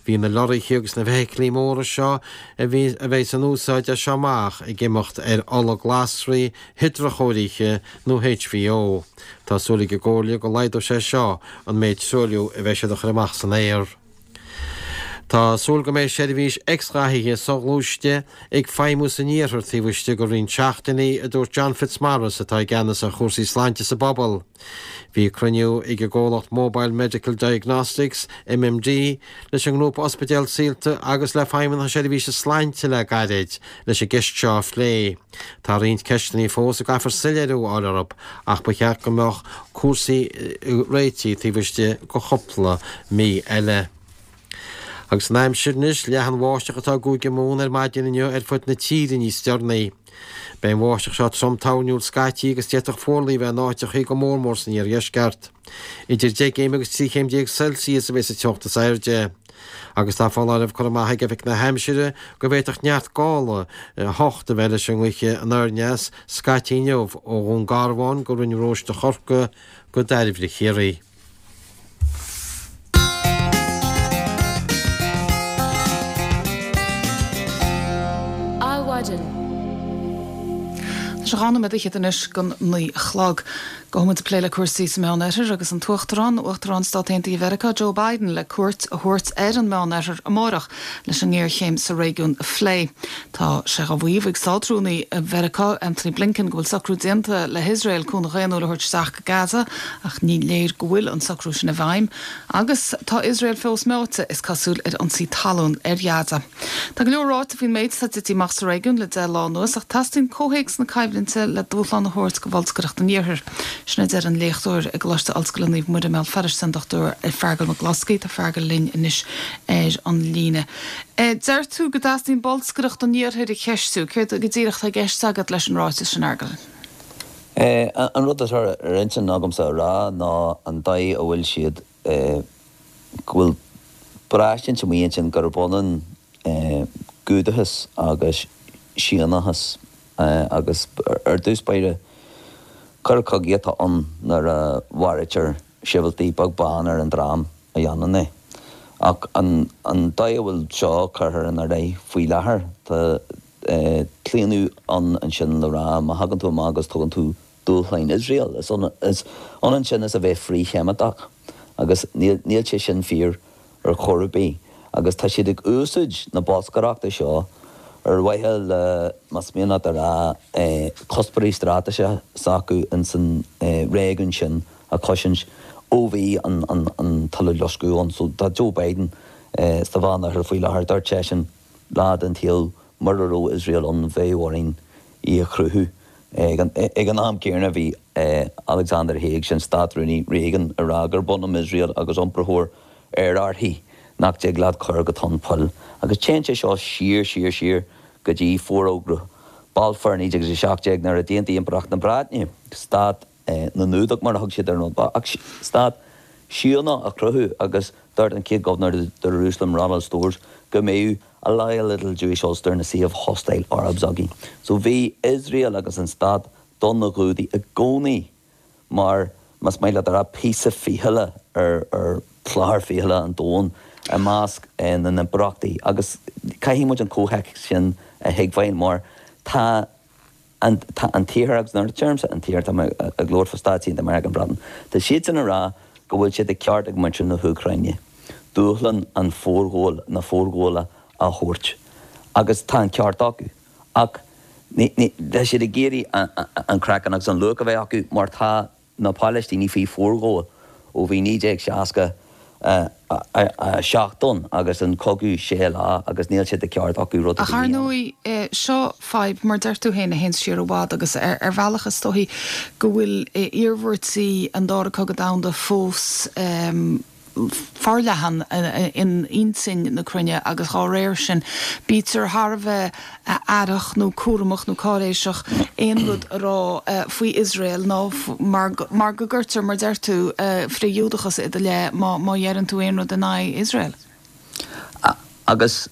S5: Bhí na lorraithe agus na feithiclí móra seo a bhí a bheidh in úsáid as seo amach ag imeacht ar ola glasraí hidreachóirithe nó HVO. Tá súil ag an gComhairle go laghdóidh sé seo an méid truailliú a bheidh siad a chur amach san aer. Tá súil go mbeidh seirbhís x-ghathaithe soghluaiste ag feidhmiú san iarthar taobh istigh de roinnt seachtainí, a dúirt John Fitzmaurice atá i gceannas ar chúrsaí sláinte sa bpobal. Bhí cruinniú ag an gcomhlacht Mobile Medical Diagnostics, MMD, leis an ngrúpa Ospidéal Saolta agus le Feidhmeannacht na Seirbhíse Sláinte le gairid leis an gceist seo a phlé. Tá roinnt ceisteanna fós a gcaithfear soiléiriú a fháil orthu ach ba cheart go mbeadh cúrsaí réitithe taobh istigh de chúpla mí eile. Agus an aimsir anois, leathan-bháisteach atá i gCúige Mumhan ar maidin inniu ar fud na tíre níos deireanaí. Beidh an bháisteach seo trom toirniúil scaití agus d'fhéadfadh fuarlaigh a bheith in áiteachaí go mór mór san iardheisceart. Idir 10 gcéim agus 13 chéim Celsius a bheidh sa teocht is airde. Agus tá foláireamh curtha amach ag Oifig na hAimsire go bhféadfadh neart gála 8 a bheith leis an ngaoth anoir-aneas scaití inniu ó Dhún Garbhán go Rinn Róiste Chorcaí go Dairbhre Chiarraí.
S1: Adhmhaidin. Tá sé 12 nóiméad anois don 9 a chlog. Gabhfaidh muid ag plé le cúrsaí sa Meánoirthear agus an tUachtarán, Uachtarán Stát Aontaithe Mheiriceá, Joe Biden, le cuairt a thabhairt ar an Meánoirthear amárach leis an ngéarchéim sa réigiún a phlé. Tá sé á mhaíomh ag Státrúnaí Mheiriceá, Antony Blinken, go bhfuil socrú déanta le hIosrael cúnamh dhaonnúil a thabhairt isteach go Gaza ach ní léir go bhfuil an socrú sin i bhfeidhm agus tá Iosrael fós meáite, is cosúil, ar ionsaí talún ar Ghaza. Tá go leor ráite faoin méid atá tite amach sa réigiún le 10 lá anuas ach teastaíonn comhthéacs na coimhlinte le dúshlán a thabhairt do bholscaireacht an Iarthair. Sin a deir an léachtóir i gColáiste Ollscoile Naomh Muire i mBéal Feirste, an Dr Feargal Mac Bhloscaidh. Tá Feargal linn anois ar an líne. Deir tú go dteastaíonn bolscaireacht an Iarthair a cheistiú. Céard go díreach atá i gceist agat leis an ráiteas sin, a Fheargail?
S9: An rud atá ar intinn agamsa a rá ná an dóigh a bhfuil siad, go bhfuil braistint amuigh ansin gurb ionann Giúdachas agus Síónachas agus ar dtús báire coir cogaidh atá ann nuair a mharaítear sibhialtaigh, beag beann ar an dream a dhéanann é. Ach an dóigh a bhfuil seo curtha ina leith faoi láthair, tá claonadh ann ansin le rá má thagann tú amach agus tugann tú dúshlán Iosrael, is ionann sin is a bheith frith-Sheimiteach. Agus níl sé sin fíor ar chor ar bith. Agus tá siad ag úsáid na bolscaireachta seo ar mhaithe le, más mian leat a rá, cuspóirí straitéiseacha s'acu ins an réigiún sin a chosaint ó bhí an tUileloscadh ann. So tá Joe Biden sa Mheánoirthear faoi láthair, dúirt seisean lá den tsaol mura raibh Iosrael ann bheadh orainn í a chruthú. Ag an am céanna bhí Alexander Haig, sin Stát-Rúnaí Reagan, ag rá gurb ionann Iosrael agus iompraitheoir aerárthaí nach dtig leat cur go tonn poill. Agus téann sé seo siar, siar, siar go dtí Forógra Balfour 1917 nuair a d'aontaigh Impireacht na Breataine stát na nGiúdach mar a thug siad ar an rud, ach stát Síónach a chruthú agus dúirt an chéad Gobharnóir de Iarúsailéim, Ronald Storrs, go mbeadh a loyal little Jewish Ulster in a sea of hostile Arabs againn. So bhí Iosrael agus an stát do na Giúdaigh i gcónaí mar, más maith leat a rá, píosa fichille ar chlár fichille an domhain i measc na n-impireachtaí agus caithfidh muid an comhthéacs sin a thuigbheáil mar tá an tá an tIarthar, agus nuair a deirimse an tIarthar tá mé ag labhairt fá Stáit Aontaithe Meiriceá, an Bhreatain, tá siadsan ag rá go bhfuil sé de cheart ag muintir na hÚcráine dúshlán an forghabháil, na forghabhála a thabhairt agus tá an ceart acu ach ní, ní, tá siad ag iarraidh an craiceann agus an luach a bheith acu mar tá na Palaistínigh faoi forghabháil ó bhí 1967 ann agus an cogadh sé lá agus níl sé de cheart acu rud ar
S1: Ach
S9: bith a
S1: ar
S9: dhéanamh.
S1: ndóigh, seo fadhb, mar deir tú féin, a théanns siar i bhfad agus ar bhealach is dóichí go bhfuil iarmhairtí an Dara Cogadh Domhanda fós forleathan in intinn na cruinne agus dhá réir sin bítear thar a bheith aireach nó cúramach nó cáiréiseach aon rud a rá faoi Iosrael nó mar mar go gcuirtear, mar deir tú, frith-Ghiúdachas i do leith má má dheireann tú aon rud in aghaidh Iosrael.
S9: Agus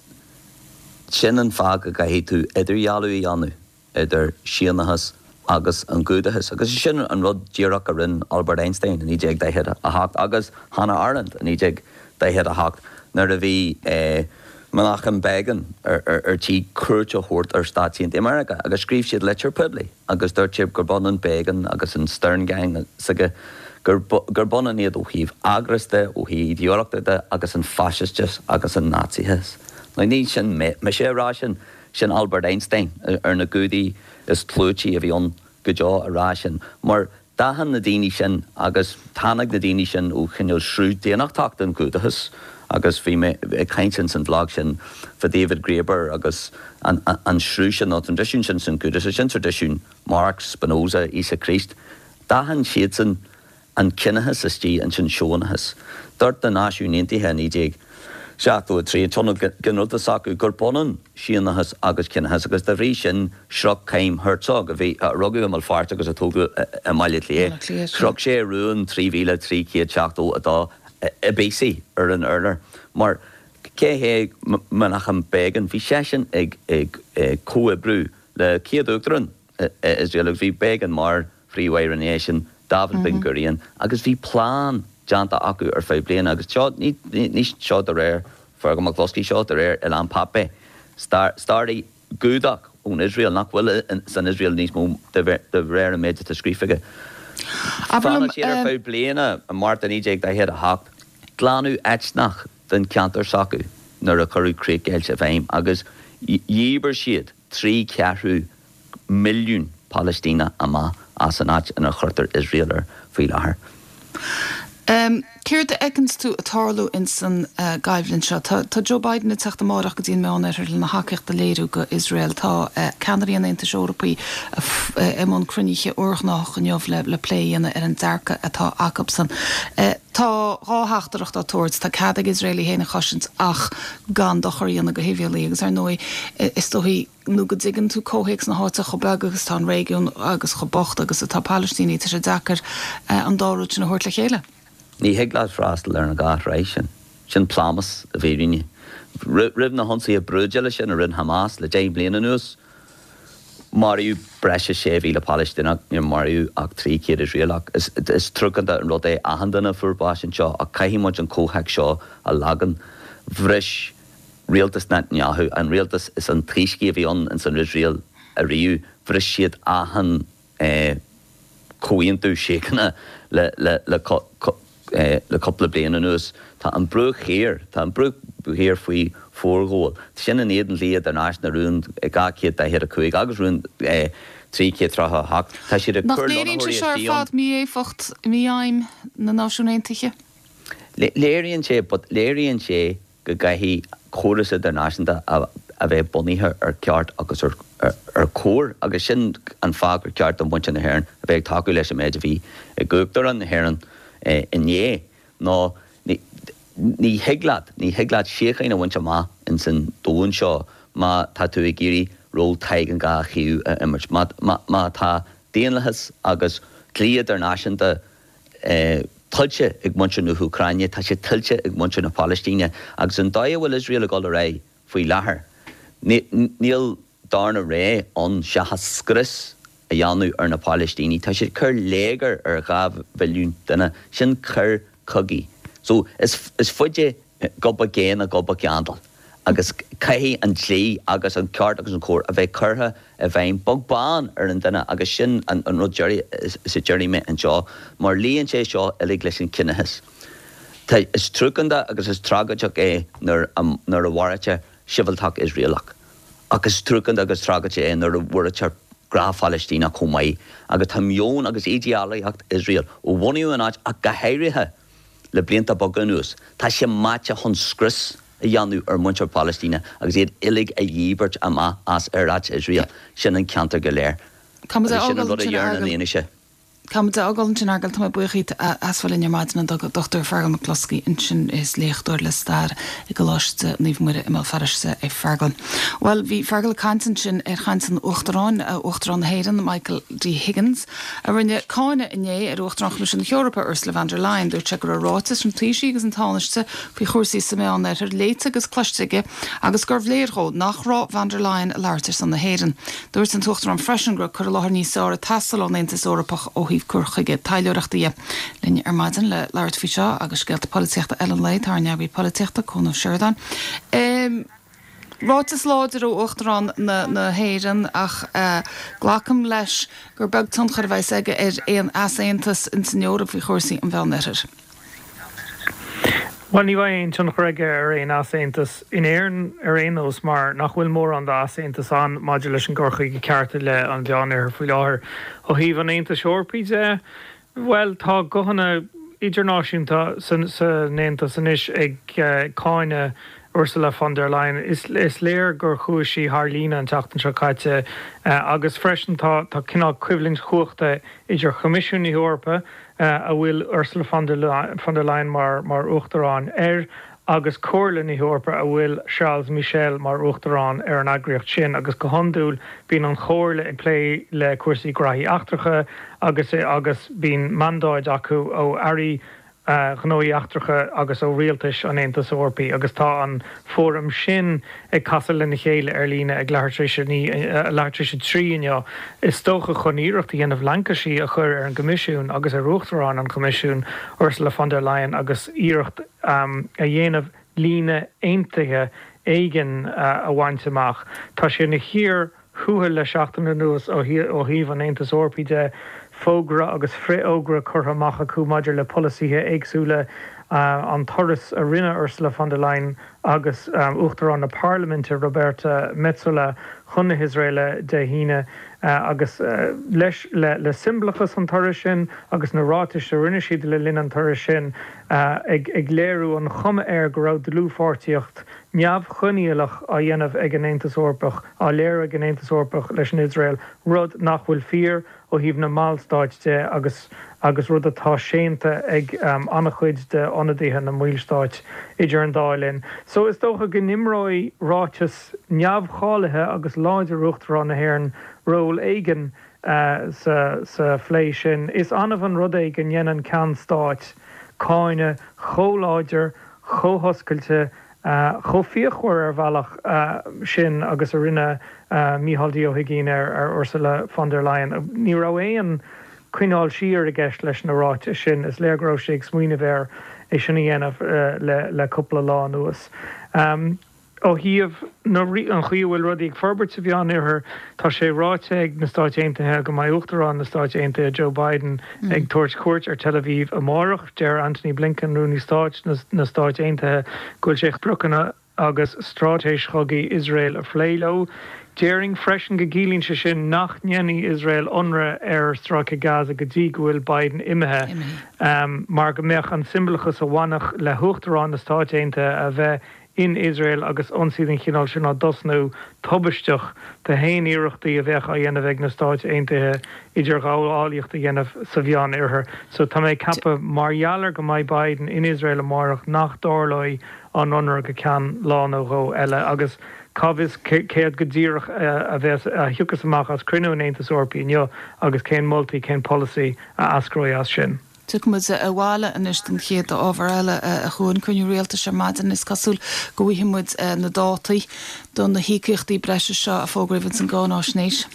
S9: sin an fáth go gcaithfidh tú idirdhealú a dhéanamh. idir Síónachas agus an Giúdachas, agus is sin an rud díreach a rinne Albert Einstein i 1948 agus Hannah Arendt i 1948 nuair a bhí Menachem Begin ar tí cuairt a thabhairt ar Stáit Aontaithe Meiriceá agus scríobh siad litir poiblí agus dúirt siad gurb ionann Begin agus an Stern Gang s'aige, gurb ionann iad ó thaobh eagras de, ó thaobh idéolaíochta de agus an faisisteas agus an Naitsíochas. Now ní sin mise a rá sin. Sin Albert Einstein, ar na Giúdaigh is clúití a bhí ann go deo a rá sin, mar d'aithin na daoine sin agus tháinig na daoine sin ó chineál sruth daonnachtach den Ghiúdachas agus bhí mé ag caint ins an bhlag sin fá David Graeber agus an sruth sin, nó an traidisiún sin san Ghiúdachas, sin traidisiún Marx, Spinoza, Íosa Críost. D'aithin siadsan an ciníochas istigh ins an Síónachas. Dúirt na Náisiúin Aontaithe i 1973, an Tionól Ginearálta s'acu, gurb ionann Síónachas agus ciníochas agus dá bhrí sin shroich Chaim Herzog, a bhí, a rugadh i mBéal Feirste agus a tógadh i mBaile Átha Cliath, chroch sé rún 3372 i bpíosaí ar an urlár. Mar cé hé Menachem Begin? Bhí seisean ag comhoibriú le chéad uachtarán Iosrael agus bhí Begin mar phríomh-aire ina dhiaidh sin, David Ben Gurion, agus bhí plean déanta acu ar feadh bliana agus seo, ní, ní seo de réir Fergal Mac Bhloscaidh, seo de réir Ilan Pappé, staraí Giúdach ón Iosrael, nach bhfuil san Iosrael níos mó de réir an méid atá scríofa aige. Phleanáil siad ar feadh bliana i Márta 1948 glanadh eitneach den cheantar s'acu nuair a cuireadh críochdheighilt i bhfeidhm agus dhíbir siad 3 cheathrú milliún Palaistíneach amach as an áit ina chuirtear Iosrael air faoi láthair.
S1: Céard a fheiceanns tú ag tarlú ins an gcoimhlint seo? Tá Joe Biden ag teacht amáireach go dtí an Meánoirthear lena thacaíocht a léiriú go Iosrael. Tá ceannairí an Aontais Eorpaigh i mbun cruinnithe urghnách inniu le plé a dhéanamh ar an dearcadh atá acubsan. Tá dha theachtaireacht á tabhairt, tá cead ag Iosrael í féin a chosaint ach gan dochar a dhéanamh go shibhialaigh agus ar ndóigh is dóichí nó go dtuigeann tú comhthéacs na háite, chomh beag agus atá an réigiún agus chomh bocht agus atá Palaistínigh, tá sé deacair an dá rud sin a thabhairt le chéile.
S9: Ní thig leat freastal ar an dhá thráigh sin. Sin plámás i bhfírinne. Roimh na hionsaithe brúidiúla sin a rinne Hamas le 10 mbliana anuas, maraíodh breis is 6,000 Palaistíneach, níor maraíodh ach 300 Iosraelach. Is truacánta an rud é achan duine a fuair bás anseo ach caithfidh muid an comhthéacs seo a leagan. Bhris rialtas Netanyahu, an rialtas is antoiscí a bhí ann ins an Iosrael ariamh, bhris siad achan comhaontú síochána le le le cúpla bliain anuas. Tá an Bruach Thiar, tá an Bruach Thiar faoi forghabháil. Sin in éadan dlí idirnáisiúnta, rún 245 agus rún 338. Tá siad ag
S1: Nach
S9: cur
S1: léiríonn sé
S9: lonnaitheoirí
S1: seo ar
S9: istigh ann.
S1: fad mí-éifeacht, mífheidhm na Náisiún Aontaithe?
S9: Léiríonn sé, but léiríonn sé go gcaithfidh córas idirnáisiúnta a bheith bunaithe ar cheart agus ar. Ar chóir, agus sin an fáth gur ceart do mhuintir na hÉireann a bheith ag tacú leis an méid a bhí ag Uachtarán na hÉireann inné, ná ní thig leat, ní thig leat síocháin a bhaint amach ins an domhan seo má tá tú ag iarraidh ról Tadhg an Dhá Thaobh a imirt. Má, má, má tá daonlathas agus dlí idirnáisiúnta tuillte ag muintir na hÚcráine, tá sé tuillte ag muintir na Palaistíne agus an dóigh a bhfuil Iosrael ag dul ar aghaidh, Faoi láthair, níl darna rogha ann seachas scrios a dhéanamh ar na Palaistínigh. Tá siad ag cur léigear ar 2 mhilliún duine. Sin coir cogaidh. So, is faide gob a gé ná gob a gceandail. Agus caithfidh an dlí agus an ceart agus an cóir a bheith curtha i bhfeidhm beag beann ar an duine agus sin an rud deiridh is a déarfaidh mé anseo mar luíonn sé seo uilig leis an cinedhíothú. Tá, is truacánta agus is tragóideach é nuair a nuair a mharaítear sibhialtach Iosraelach. Ach is truacánta agus tragóideach é nuair a mharaítear gnáth-Phalaistíneach chomh maith. Agus tá meon agus ídéalaíocht Iosrael, ó bunaíodh an áit ach go háirithe le blianta beaga anuas, tá sé meáite chun scrios a dhéanamh ar mhuintir Phalaistíne agus iad uilig a dhíbirt amach as ar áit Iosrael, sin an ceantar go léir.
S1: Agus
S9: sin an rud a deireann an fhianaise.
S1: Caithfimid a fhágáil ansin, a Fheargail. Tá mé buíoch díot as bheith linn ar maidin, an Dr Feargal Mac Bhloscaidh ansin, is léachtóir le stair i gColáiste Naomh Muire i mBéal Feirste é Feargal. Bhuel, bhí Feargal ag caint ansin ar chaint an Uachtaráin, Uachtarán na hÉireann, Michael D. Higgins, a rinne cáineadh inné ar Uachtarán Choimisiún na hEorpa, Ursula von der Leyen. Dúirt sé go raibh ráitis an Taoisigh agus an Tánaiste faoi chúrsaí sa Mheánoirthear léite agus cloiste aige agus gurbh léir dhó nach raibh von der Leyen ag labhairt ar son na hÉireann. Dúirt an tUachtarán freisin go raibh cur i láthair níos fearr ag teastáil ón Aontas Eorpach ó thaobh cur chuige taidhleoireachta dhe. Linn ar maidin le labhairt faoi seo agus scéalta polaitíochta eile an lae tá ár n-eagraí polaitíochta, Conn Ó Seireadáin. Ráiteas láidir ó Uachtarán na hÉireann ach glacaim leis gur beag tionchar a bheas aige ar aon easaontas ins an Eoraip faoi chúrsaí an Mheánoirthir.
S10: Bhuel, ní bheidh aon tionchar aige ar aon easaontas in Éirinn ar aon nós mar nach bhfuil mórán d'easaontas ann maidir leis an gcur chuige ceart i leith an Mheánoirthir faoi láthair. Ó thaobh an Aontais Eorpaigh de, bhuel, tá guthanna idirnáisiúnta san Aontas anois ag cáineadh Ursula von der Leyen. Is léir gur chuaigh sí thar líne an tseachtain seo caite agus freisin tá cineál coimhlint chumhachta idir Choimisiún na hEorpa, a bhfuil Ursula von der Leyen mar Uachtarán air, agus Comhairle na hEorpa, a bhfuil Charles Michel mar Uachtarán ar an eagraíocht sin, agus go hiondúil bíonn an Chomhairle ag plé le cúrsaí graithí eachtracha agus agus bíonn mandáid acu ó airí Ghnóthaí Eachtracha agus ó rialtais an Aontais Eorpaigh agus tá an fóram sin ag casadh lena chéile ar líne ag leathuair tar éis a 3 inniu, is dócha, chun iarracht a dhéanamh laincisí a chur ar an gCoimisiún agus ar Uachtarán an Choimisiúin, Ursula von der Leyen agus iarracht a dhéanamh líne aontaithe éigin a bhaint amach. Tá sé ina chíor thuathail le seachtain anuas ó thaobh an Aontais Eorpaigh de, fógra agus frithfhógra curtha amach acu maidir le polasaithe éagsúla, an turas a rinne Ursula von der Leyen agus Uachtarán na Parlaiminte Roberta Metsola chun na hIosraeile Dé hAoine agus leis le siombalachas an turais sin agus na ráitis a rinne siad le linn an turais sin ag léiriú an chuma air go raibh dlúthpháirtíocht neamhchoinníollach á dhéanamh ag an Aontas Eorpach, á léiriú ag an Aontas Eorpach leis an Iosrael, rud nach bhfuil fíor ó thaobh na mballstáit de agus agus rud atá séanta ag an-chuid de ionadaithe na mballstáit idir an dá linn. So is dócha go n-imreoidh ráiteas neamhcháilithe agus láidir Uachtarán na hÉireann ról éigin sa sa phlé sin. Is annamh an rud é go ndéanann ceann stáit cáineadh chomh láidir, chomh hoscailte, chomh fíochmhar ar bhealach sin agus a rinne Micheál D. Ó hUigínn ar Ursula von der Leyen. Ní raibh aon coinneáil siar i gceist leis na ráitis sin. Is léir go raibh sé ag smaoineamh air é sin a dhéanamh le cúpla lá anuas. Ó thaobh na, an chaoi a bhfuil rudaí ag forbairt sa Mheánoirthear, tá sé ráite ag na Stáit Aontaithe go mbeidh Uachtarán na Stáit Aontaithe, Joe Biden, ag tabhairt cuairt ar Tel Aviv amárach. Deir Antony Blinken, Rúnaí Stáit na Stáit Aontaithe, go bhfuil sé chun spriocanna agus straitéis chogaidh Iosrael a phlé leo. Déarfainn freisin go gciallaíonn sé sin nach ndéanfaidh Iosrael ionradh ar Stráice Gaza go dtí go bhfuil Biden imithe, mar go mbeadh an siombalachas a bhainfeadh le hUachtarán na Stáit Aontaithe a bheith. in Iosrael agus ionsaí den chineál sin á dtosnú, tubaisteach do haon iarrachtaí a bheadh á dhéanamh ag na Stáit Aontaithe idirghabhálaíocht a dhéanamh sa Mheánoirthear. So tá mé ag ceapadh, mar gheall ar go mbeidh Biden in Iosrael amárach, nach dtarlóidh an ionradh go ceann lá nó dhó eile. Agus cá bhfios céard go díreach a bheas, a thiocfas amach as cruinniú an Aontais Eorpaigh inniu agus cén moltaí, cén polasaí a eascróidh as sin.
S1: Tiocfaidh muid abhaile anois don chéad ábhar eile a Chuain, cruinniú rialtais ar maidin. Is cosúil go bhfaighidh muid na dátaí do na híocaíochtaí breise seo a fógraíodh ins an gcáináisnéis.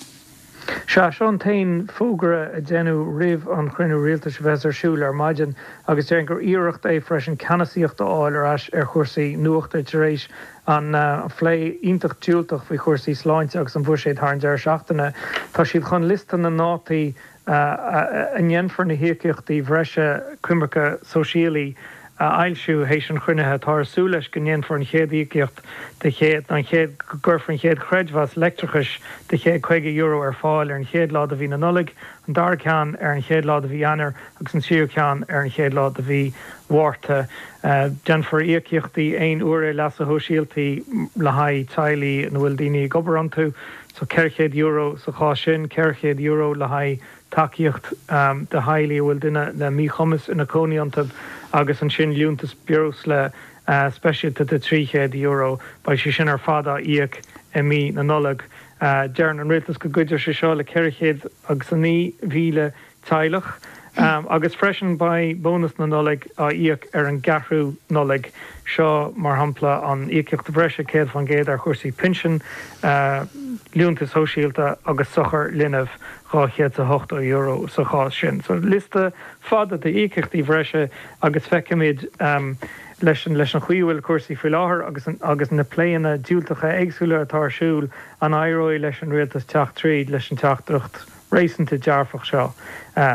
S10: Sea, seo an t-aon fógra a deineadh roimh an chruinniú rialtais a bheas ar siúl ar maidin agus déarfainn gur iarracht é freisin ceannasaíocht a fháil ar ais ar chúrsaí nuachta tar éis an phlé iontach diúltach faoi chúrsaí sláinte agus an bhuiséid thar an deireadh seachtaine. Tá siad chun liosta na ndátaí a ndéanfar na híocaíochtaí bhreise coimirce sóisialaí a fhoilsiú théis an chruinnithe. Táthar ag súil leis go ndéanfar an chéad íocaíocht de chéad, an chéad, go gcuirfear an chéad chreidmheas leictreachais de €150 ar fáil ar an chéad lá de mhí na Nollag, an dara ceann ar an chéad lá de mhí Eanáir agus an tríú ceann ar an chéad lá de mhí Mhárta. Déanfar íocaíochtaí aon uaire leasa shóisialta le haghaidh teaghlaigh ina bhfuil daoine ag obair iontu. So €400 sa chás sin, €400 le haghaidh tacaíocht do theaghlaigh a bhfuil duine le míchumas ina cónaí iontu agus ansin liúntas breosla speisialta de €300. Beidh sé sin ar fad á íoc i mí na Nollag. Deireann an Rialtas go gcuideoidh sé seo le 409,000 teaghlach agus freisin beidh bónas na Nollag á íoc ar an gceathrú Nollaig. Seo, mar shampla, an íocaíocht bhreise 100% ar chúrsaí pinsin, liúntais shóisialta agus sochar linbh, €280 sa chás sin. So liosta fada d'íocaíochtaí bhreise agus feicfimid leis an leis an chaoi a bhfuil cúrsaí faoi láthair agus agus na pléanna diúltacha éagsúla atá ar siúl an éireoidh leis an rialtas teacht tríd leis an teachtaireacht réasúnta dearfach seo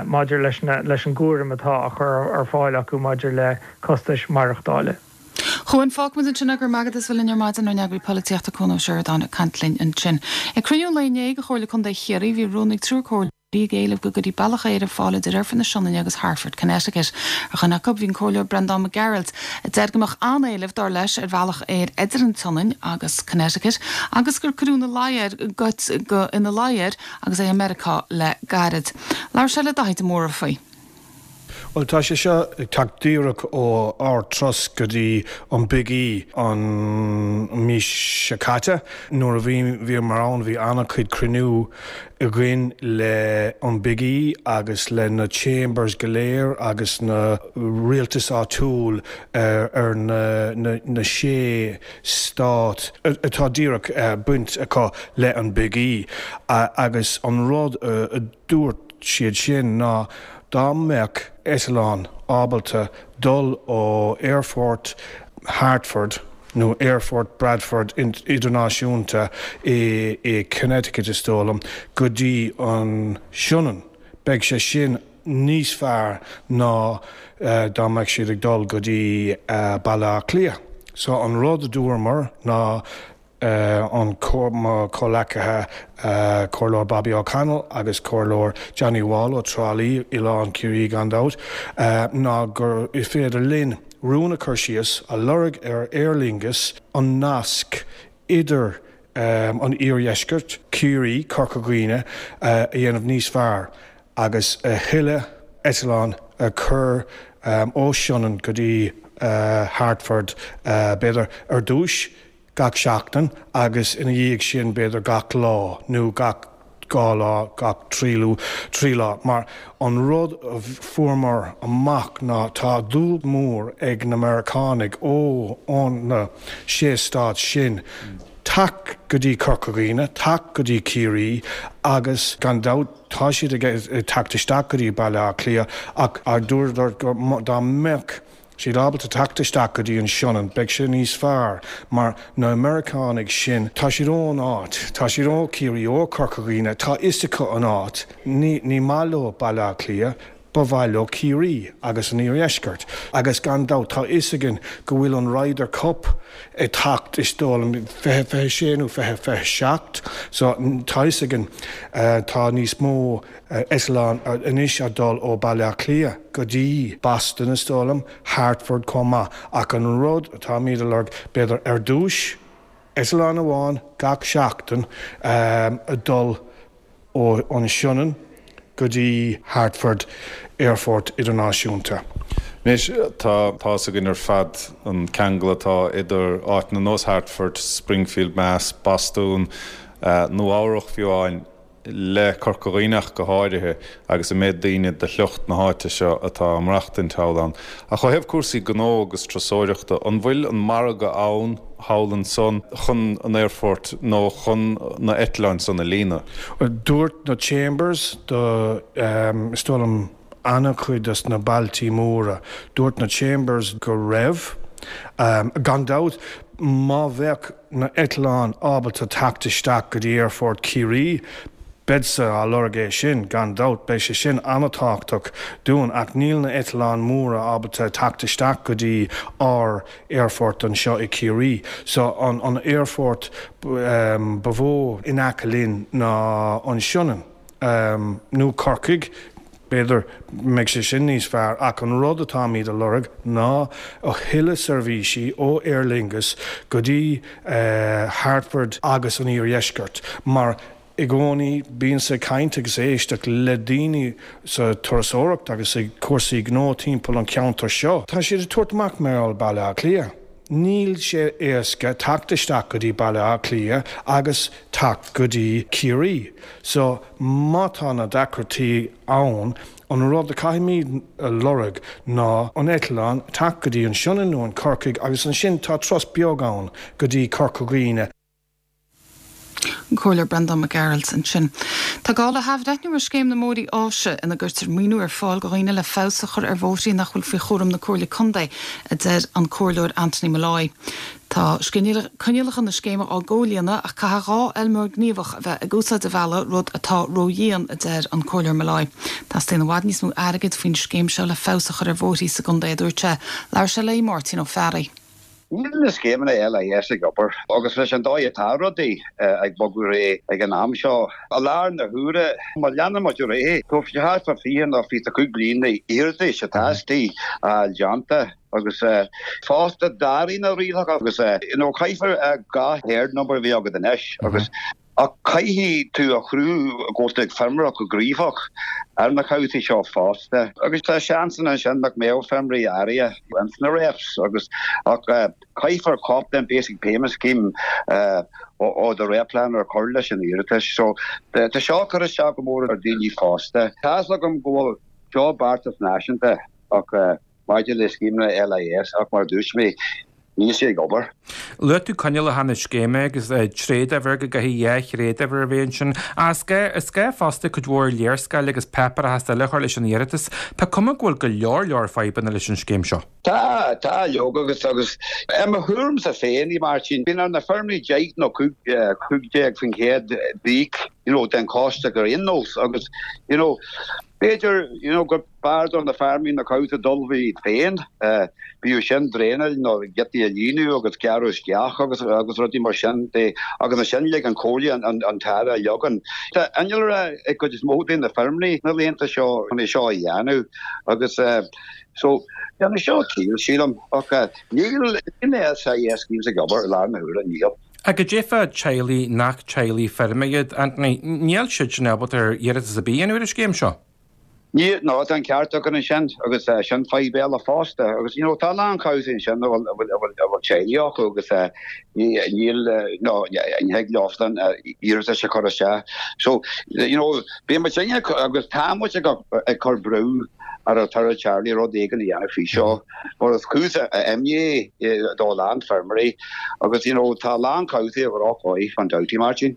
S10: maidir leis leis an gcúram atá á chur ar fáil acu maidir le costais maireachtála.
S1: A Chuain, fágfaimid ansin é, go raibh maith agat as bheith linn ar maidin, ár n-eagraí polaitíochta Cuan Ó Seireadáin ag caint linn ansin. Ag cruinniú an lae inné de Chomhairle Contae Chiarraí bhí rún ag triúr comhairleoirí ag éileamh go gcuirfí bealach aeir ar fáil idir Aerfort na Sionainne agus Hartford, Connecticut. Ar dhuine acu bhí an Comhairleoir Breandán Mac Gearailt, a deir go mbeadh an-éileamh, dar leis, ar bhealach aeir idir an tSionainn agus Connecticut agus gur cuireadh ina luí air go ina luí air agus é i Meiriceá le gairid. Labhair sé le Daithí de Mórdha faoi.
S11: Bhuel, tá sé seo ag teacht díreach ó ár dturas go dtí an Big E an mí seo caite. Nuair a bhí bhíomar ann bhí an-chuid cruinniú againn le an Big E agus le na Chambers go léir agus na rialtais áitiúil ar na na sé stát atá díreach baint acu le an Big E agus an rud a dúirt siad sin ná dá mbeadh eitleán ábalta dul ó Aerfort Hartford nó Aerfort Bradford Idirnáisiúnta i Connecticut is dóigh liom go dtí an Sionainn beidh sé sin níos fearr ná dá mbeadh siad ag dul go dtí Baile Átha Cliath. So an rud a dúramar ná an mo chomhleacaithe Comhairleoir Bobby O'Connell agus Comhairleoir Johnny Wall ó Trá Lí, Oileán Ciarraí gan dabht, ná gur féidir linn rún a chur síos a lorg ar Aer Lingus an nasc idir an iardheisceart, Ciarraí, Corca Dhuibhne, a dhéanamh níos fearr. agus a thuilleadh eitleán a chur ó Sionainn go dtí Hartford, b'fhéidir, ar dtúis gach seachtain agus ina dhiaidh sin b'fhéidir gach lá nó gach dhá lá, gach trí lá. Mar an rud a fuaireamar amach ná tá dúil mór ag na Meiriceánaigh ó na sé stát sin teacht go dtí Corca Dhuibhne, teacht go dtí Ciarraí agus gan dabht, Tá siad ag teacht isteach go dtí Baile Átha Cliath ach dúradar go dá mbeadh siad ábalta teacht isteach go dtí an Sionainn beidh sé níos fearr mar na Meiriceánaigh sin tá siad ón áit, tá siad ó Chiarraí, ó Corca Dhuibhne, tá fhios acu an áit, ní maith leo Baile Átha Cliath. Ba mhaith leo Ciarraí agus an Iardheisceart agus gan dabht tá fhios againn go bhfuil an Ryder Cup ag teacht is dóigh liom 2026 nó 2027 so tá fhios againn tá níos mó eitleán anois ag dul ó Baile Átha Cliath go dtí Boston is dóigh liom, Hartford chomh maith ach an rud atáimid a lorg b'fhéidir ar dtúis eitleán amháin gach seachtain ag dul ó an Sionainn go dtí Hartford Aerfort Idirnáisiúnta.
S12: Anois, tá tá's againn ar fad an ceangal atá idir áiteanna ar nós Hartford, Springfield, Mass, Bostún, Nua Eabhrach fiú amháin, le Corca Dhuibhne ach go háirithe, agus an méid daoine de shliocht na háite seo atá ag maireachtaint thall ann. Ach ó thaobh cúrsaí gnó agus turasóireachta, an bhfuil an margadh ann thall ansan chun an aerfort nó chun na eitleáin san a líonadh?
S11: Dúirt na Chambers do, is dóigh liom, an-chuid des na bailtí móra, dúirt na Chambers go raibh. Gan dabht, má bheadh na eitleáin ábalta teacht isteach go dtí Aerfort Chiarraí, beadsa á lorg é sin, gan dabht, beidh sé sin an-tábhachtach dúinn, ach níl na eitleáin móra ábalta teacht isteach go dtí ár aerfort anseo i Ciarraí. So an an aerfort ba mhó in aice linn ná an Sionainn nó Corcaigh, b'fhéidir mbeidh sé sin níos fearr ach an rud atáimid a lorg ná a thuilleadh seirbhísí ó Aer Lingus go dtí Hartford agus an Iardheisceart mar i gcónaí bíonn-sa ag caint agus ag éisteacht le daoine sa turasóireacht agus ag cúrsaí gnó timpeall an cheantair seo. Tá siad ag tabhairt amach mar gheall Baile Átha Cliath. Níl sé éasca teacht isteach go dtí Baile Átha Cliath agus teacht go dtí Ciarraí. So, má tá na deacrachtaí ann, an rud a caithfimid a lorg ná an eitleán teacht go dtí an Sionainn nó an Corcaigh agus ansin tá turas beag ann go dtí Corca Dhuibhne.
S1: An Comhairleoir Breandán Mac Gearailt ansin. Tá gá le hathbhreithniú ar Scéim na mBóithrí Áise ina gcuirtear maoiniú ar fáil do dhaoine le feabhas a chur ar bhóithrí nach bhfuil faoi chúram na Comhairle Contae, a deir an Comhairleoir Anthony Molloy. Tá coinníollacha na scéime á gcomhlíonadh ach caithfidh 2 fheilmeoir gníomhach a bheith ag úsáid an bhealaigh, rud atá ródhian, a deir an Comhairleoir Molloy. Teastaíonn i bhfad níos mó airgid faoin scéim seo le feabhas a chur ar bhóithrí sa gcontae, a dúirt sé. Labhair sé le Máirtín Ó Fearraigh.
S13: Níl na scéimeanna LIS ag obair agus leis an dóigh atá rudaí ag bogadh ar aghaidh ag an am seo, i láthair na huaire, má leanann muid ar aghaidh, tógfaidh sé thart fá 20 nó 25 bliain na hiarratais atá istigh a fháil déanta agus fosta d'athraigh na rialacha agus you know caithfear gach herd number a bheith agat anois agus Ach caithfidh tú a chruthú go bhfuil tú ag feirmeoireacht go gníomhach ar na cabhsaí seo fosta. Agus tá seansanna ansin nach mbeadh feirmeoirí áirithe ins na REPs agus ach caithfear cóip den Basic Payment Scheme ó do REP plan a chur leis an iarratas. So tá seo ag cur isteach go mór ar daoine fosta. Tá's agam go bhfuil seo beartas náisiúnta ach maidir le scéimeanna LIS ach mar a dúirt mé, níl sé ag obair.
S14: Luaigh tú coinníollacha na scéime agus tréaduimhir, go gcaithfidh dhá thréaduimhir a bheith ansin. Ach is gá fosta cuid mhór léarscáil agus páipéarachas eile a chur leis an iarratas. Tá cuma go bhfuil go leor leor fadhbanna leis an scéim seo.
S13: Tá, tá, leoga agus, agus i mo thuairimse féin, a Mháirtín, bíonn ar na feirmeoirí 10 nó 15% d'íoc, you know, den chostas ar aon nós agus, you know, b'fhéidir, you know, gur B'fhearr do na feirmeoirí na cabhsa d'ullmhú iad féin, bíodh sin draenáil nó giotaí a líonadh agus gearradh isteach agus agus rudaí mar sin de agus ansin lig an Chomhairle an t-aire a leagan. Tá innealra ag cuid is mó de na feirmeoirí na laethanta seo chun é seo a dhéanamh agus so déanann seo ciall sílim ach níl na LIS schemes ag obair i láthair na huaire, níl.
S14: Ach cad é fá teaghlaigh nach teaghlaigh feirme iad, Anthony, níl siad sin ábalta ar iarratas ar bith a dhéanamh ar an scéim seo?
S13: Níl, no, tá an ceart agat ansin agus sin fadhb eile fosta agus you know tá a lán cabhsaí ansin a bhfuil, a bhfuil, a bhfuil, a bhfuil teaghlaigh acu agus níl, no, ní thig leosan iarratas a chur isteach. So, you know, bíonn muid agus tá muid ag, ag cur brú ar an tAire Charlie rud éigin a dhéanamh faoi seo. Mar is cúis imní é do a lán feirmeoirí agus you know tá a lán cabhsaí ar dhrochdhóigh gan dabht, a Mháirtín.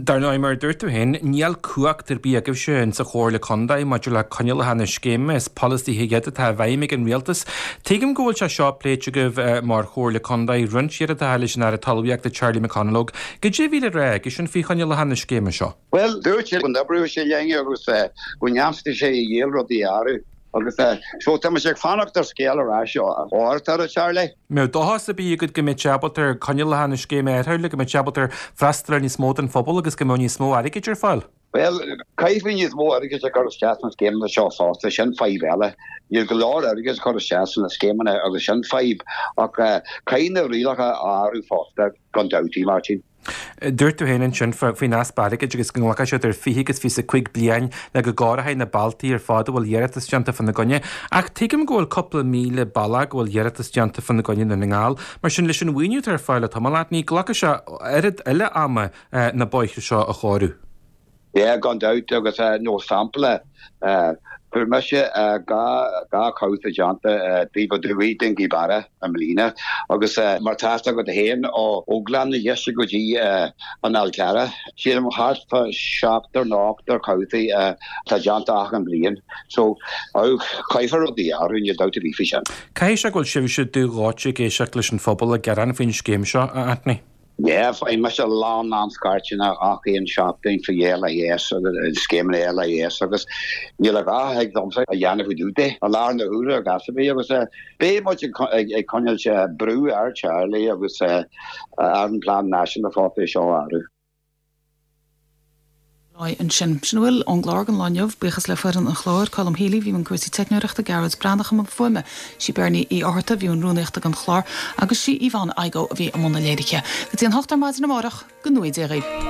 S14: Dar ndóigh, mar a dúirt tú féin, níl cumhacht ar bith agaibhse insa Chomhairle Contae maidir le coinníollacha na scéime, is polasaithe iad atá i bhfeidhm ag an Rialtas. Tuigim go bhfuil sé seo pléite agaibh mar Chomhairle Contae roinnt iarratacha leis an Aire Talmhaíochta Charlie McConalogue. Goidé a bhí le rá aigesean faoi choinníollacha na scéime seo?
S13: Bhuel, dúirt sé go n-oibreoidh sé linn agus go ndéanfaidh sé a dhícheall rudaí a athrú. Agus so tá mise ag fanacht ar scéal ar ais ón Aire Charlie.
S14: Mbeadh dóchas ar bith agat go mbeidh sé ábalta ar coinníollacha na scéime a athrú le go mbeidh sé ábalta ar freastal ar níos mó den phobal agus go mbeadh níos mó airgid ar fáil?
S13: Bhuel, caithfidh níos mó airgid a chur isteach sna scéimeanna seo fosta, sin fadhb eile. Níl go leor airgid a chur isteach sna scéimeanna agus sin fadhb. Ach caithfidh na rialacha a athrú fosta, gan dabht, a Mháirtín.
S14: Dúirt tú féin ansin faoin easpa airgid agus go nglacfaidh sé idir 20 agus 25 bliain le go gcóireofaí na bealtaí ar fad a bhfuil iarratas déanta fána gcoinne. Ach tuigim go bhfuil cúpla 1,000 bealach go bhfuil iarratas déanta fána gcoinne i nDún na nGall. Mar sin, leis an mhaoiniú atá ar fáil le tamall, ní glacfaidh sé oiread eile ama na bóithre seo a chóiriú.
S13: Yeah, gan dabht, agus nó sampla, fuair mise 2 chabhsa déanta taobh aduaidh den Ghaoth Beara i mbliana, agus mar tá fhios agat féin, ó Ghleann na Deise go dtí an Fhál Carrach, sílim thart fá seachtar nó ochtar cabhsaí atá déanta achan bhliain. So, caithfear rudaí a athrú, níl dabht ar bith faoi sin.
S14: Caithfidh sé go bhfuil sibhse dubh dhóite ag éisteacht leis an phobal ag gearán faoin scéim seo, a Anthony.
S13: Yeah, faigheann mise a lán lán scairteanna gach aon seachtain faoi LIS agus scéimeanna LIS agus níl a dhath a thig liomsa a dhéanamh faoi dtaobh de i láthair na huaire ar chás ar bith agus beidh muid ag coinneáil brú ar Charlie agus ar an Plean Náisiúnta fosta é seo a athrú.
S1: Lá ansin. Sin a bhfuil ón gclár don lá inniu. Buíochas le foireann an chláir, Colm Healy, bhí i mbun cúrsaí teicneoireachta, Gearóid Breathnach i mbun fuaime, sí Bernie Uí Fhátharta a bhí i mbun rúnaíochta don chlár agus sí Yvonne Igoe a bhí i mbun na léirithe. Go dtí an hocht ar maidin amárach, go ngnóthaí Dia dhaoibh.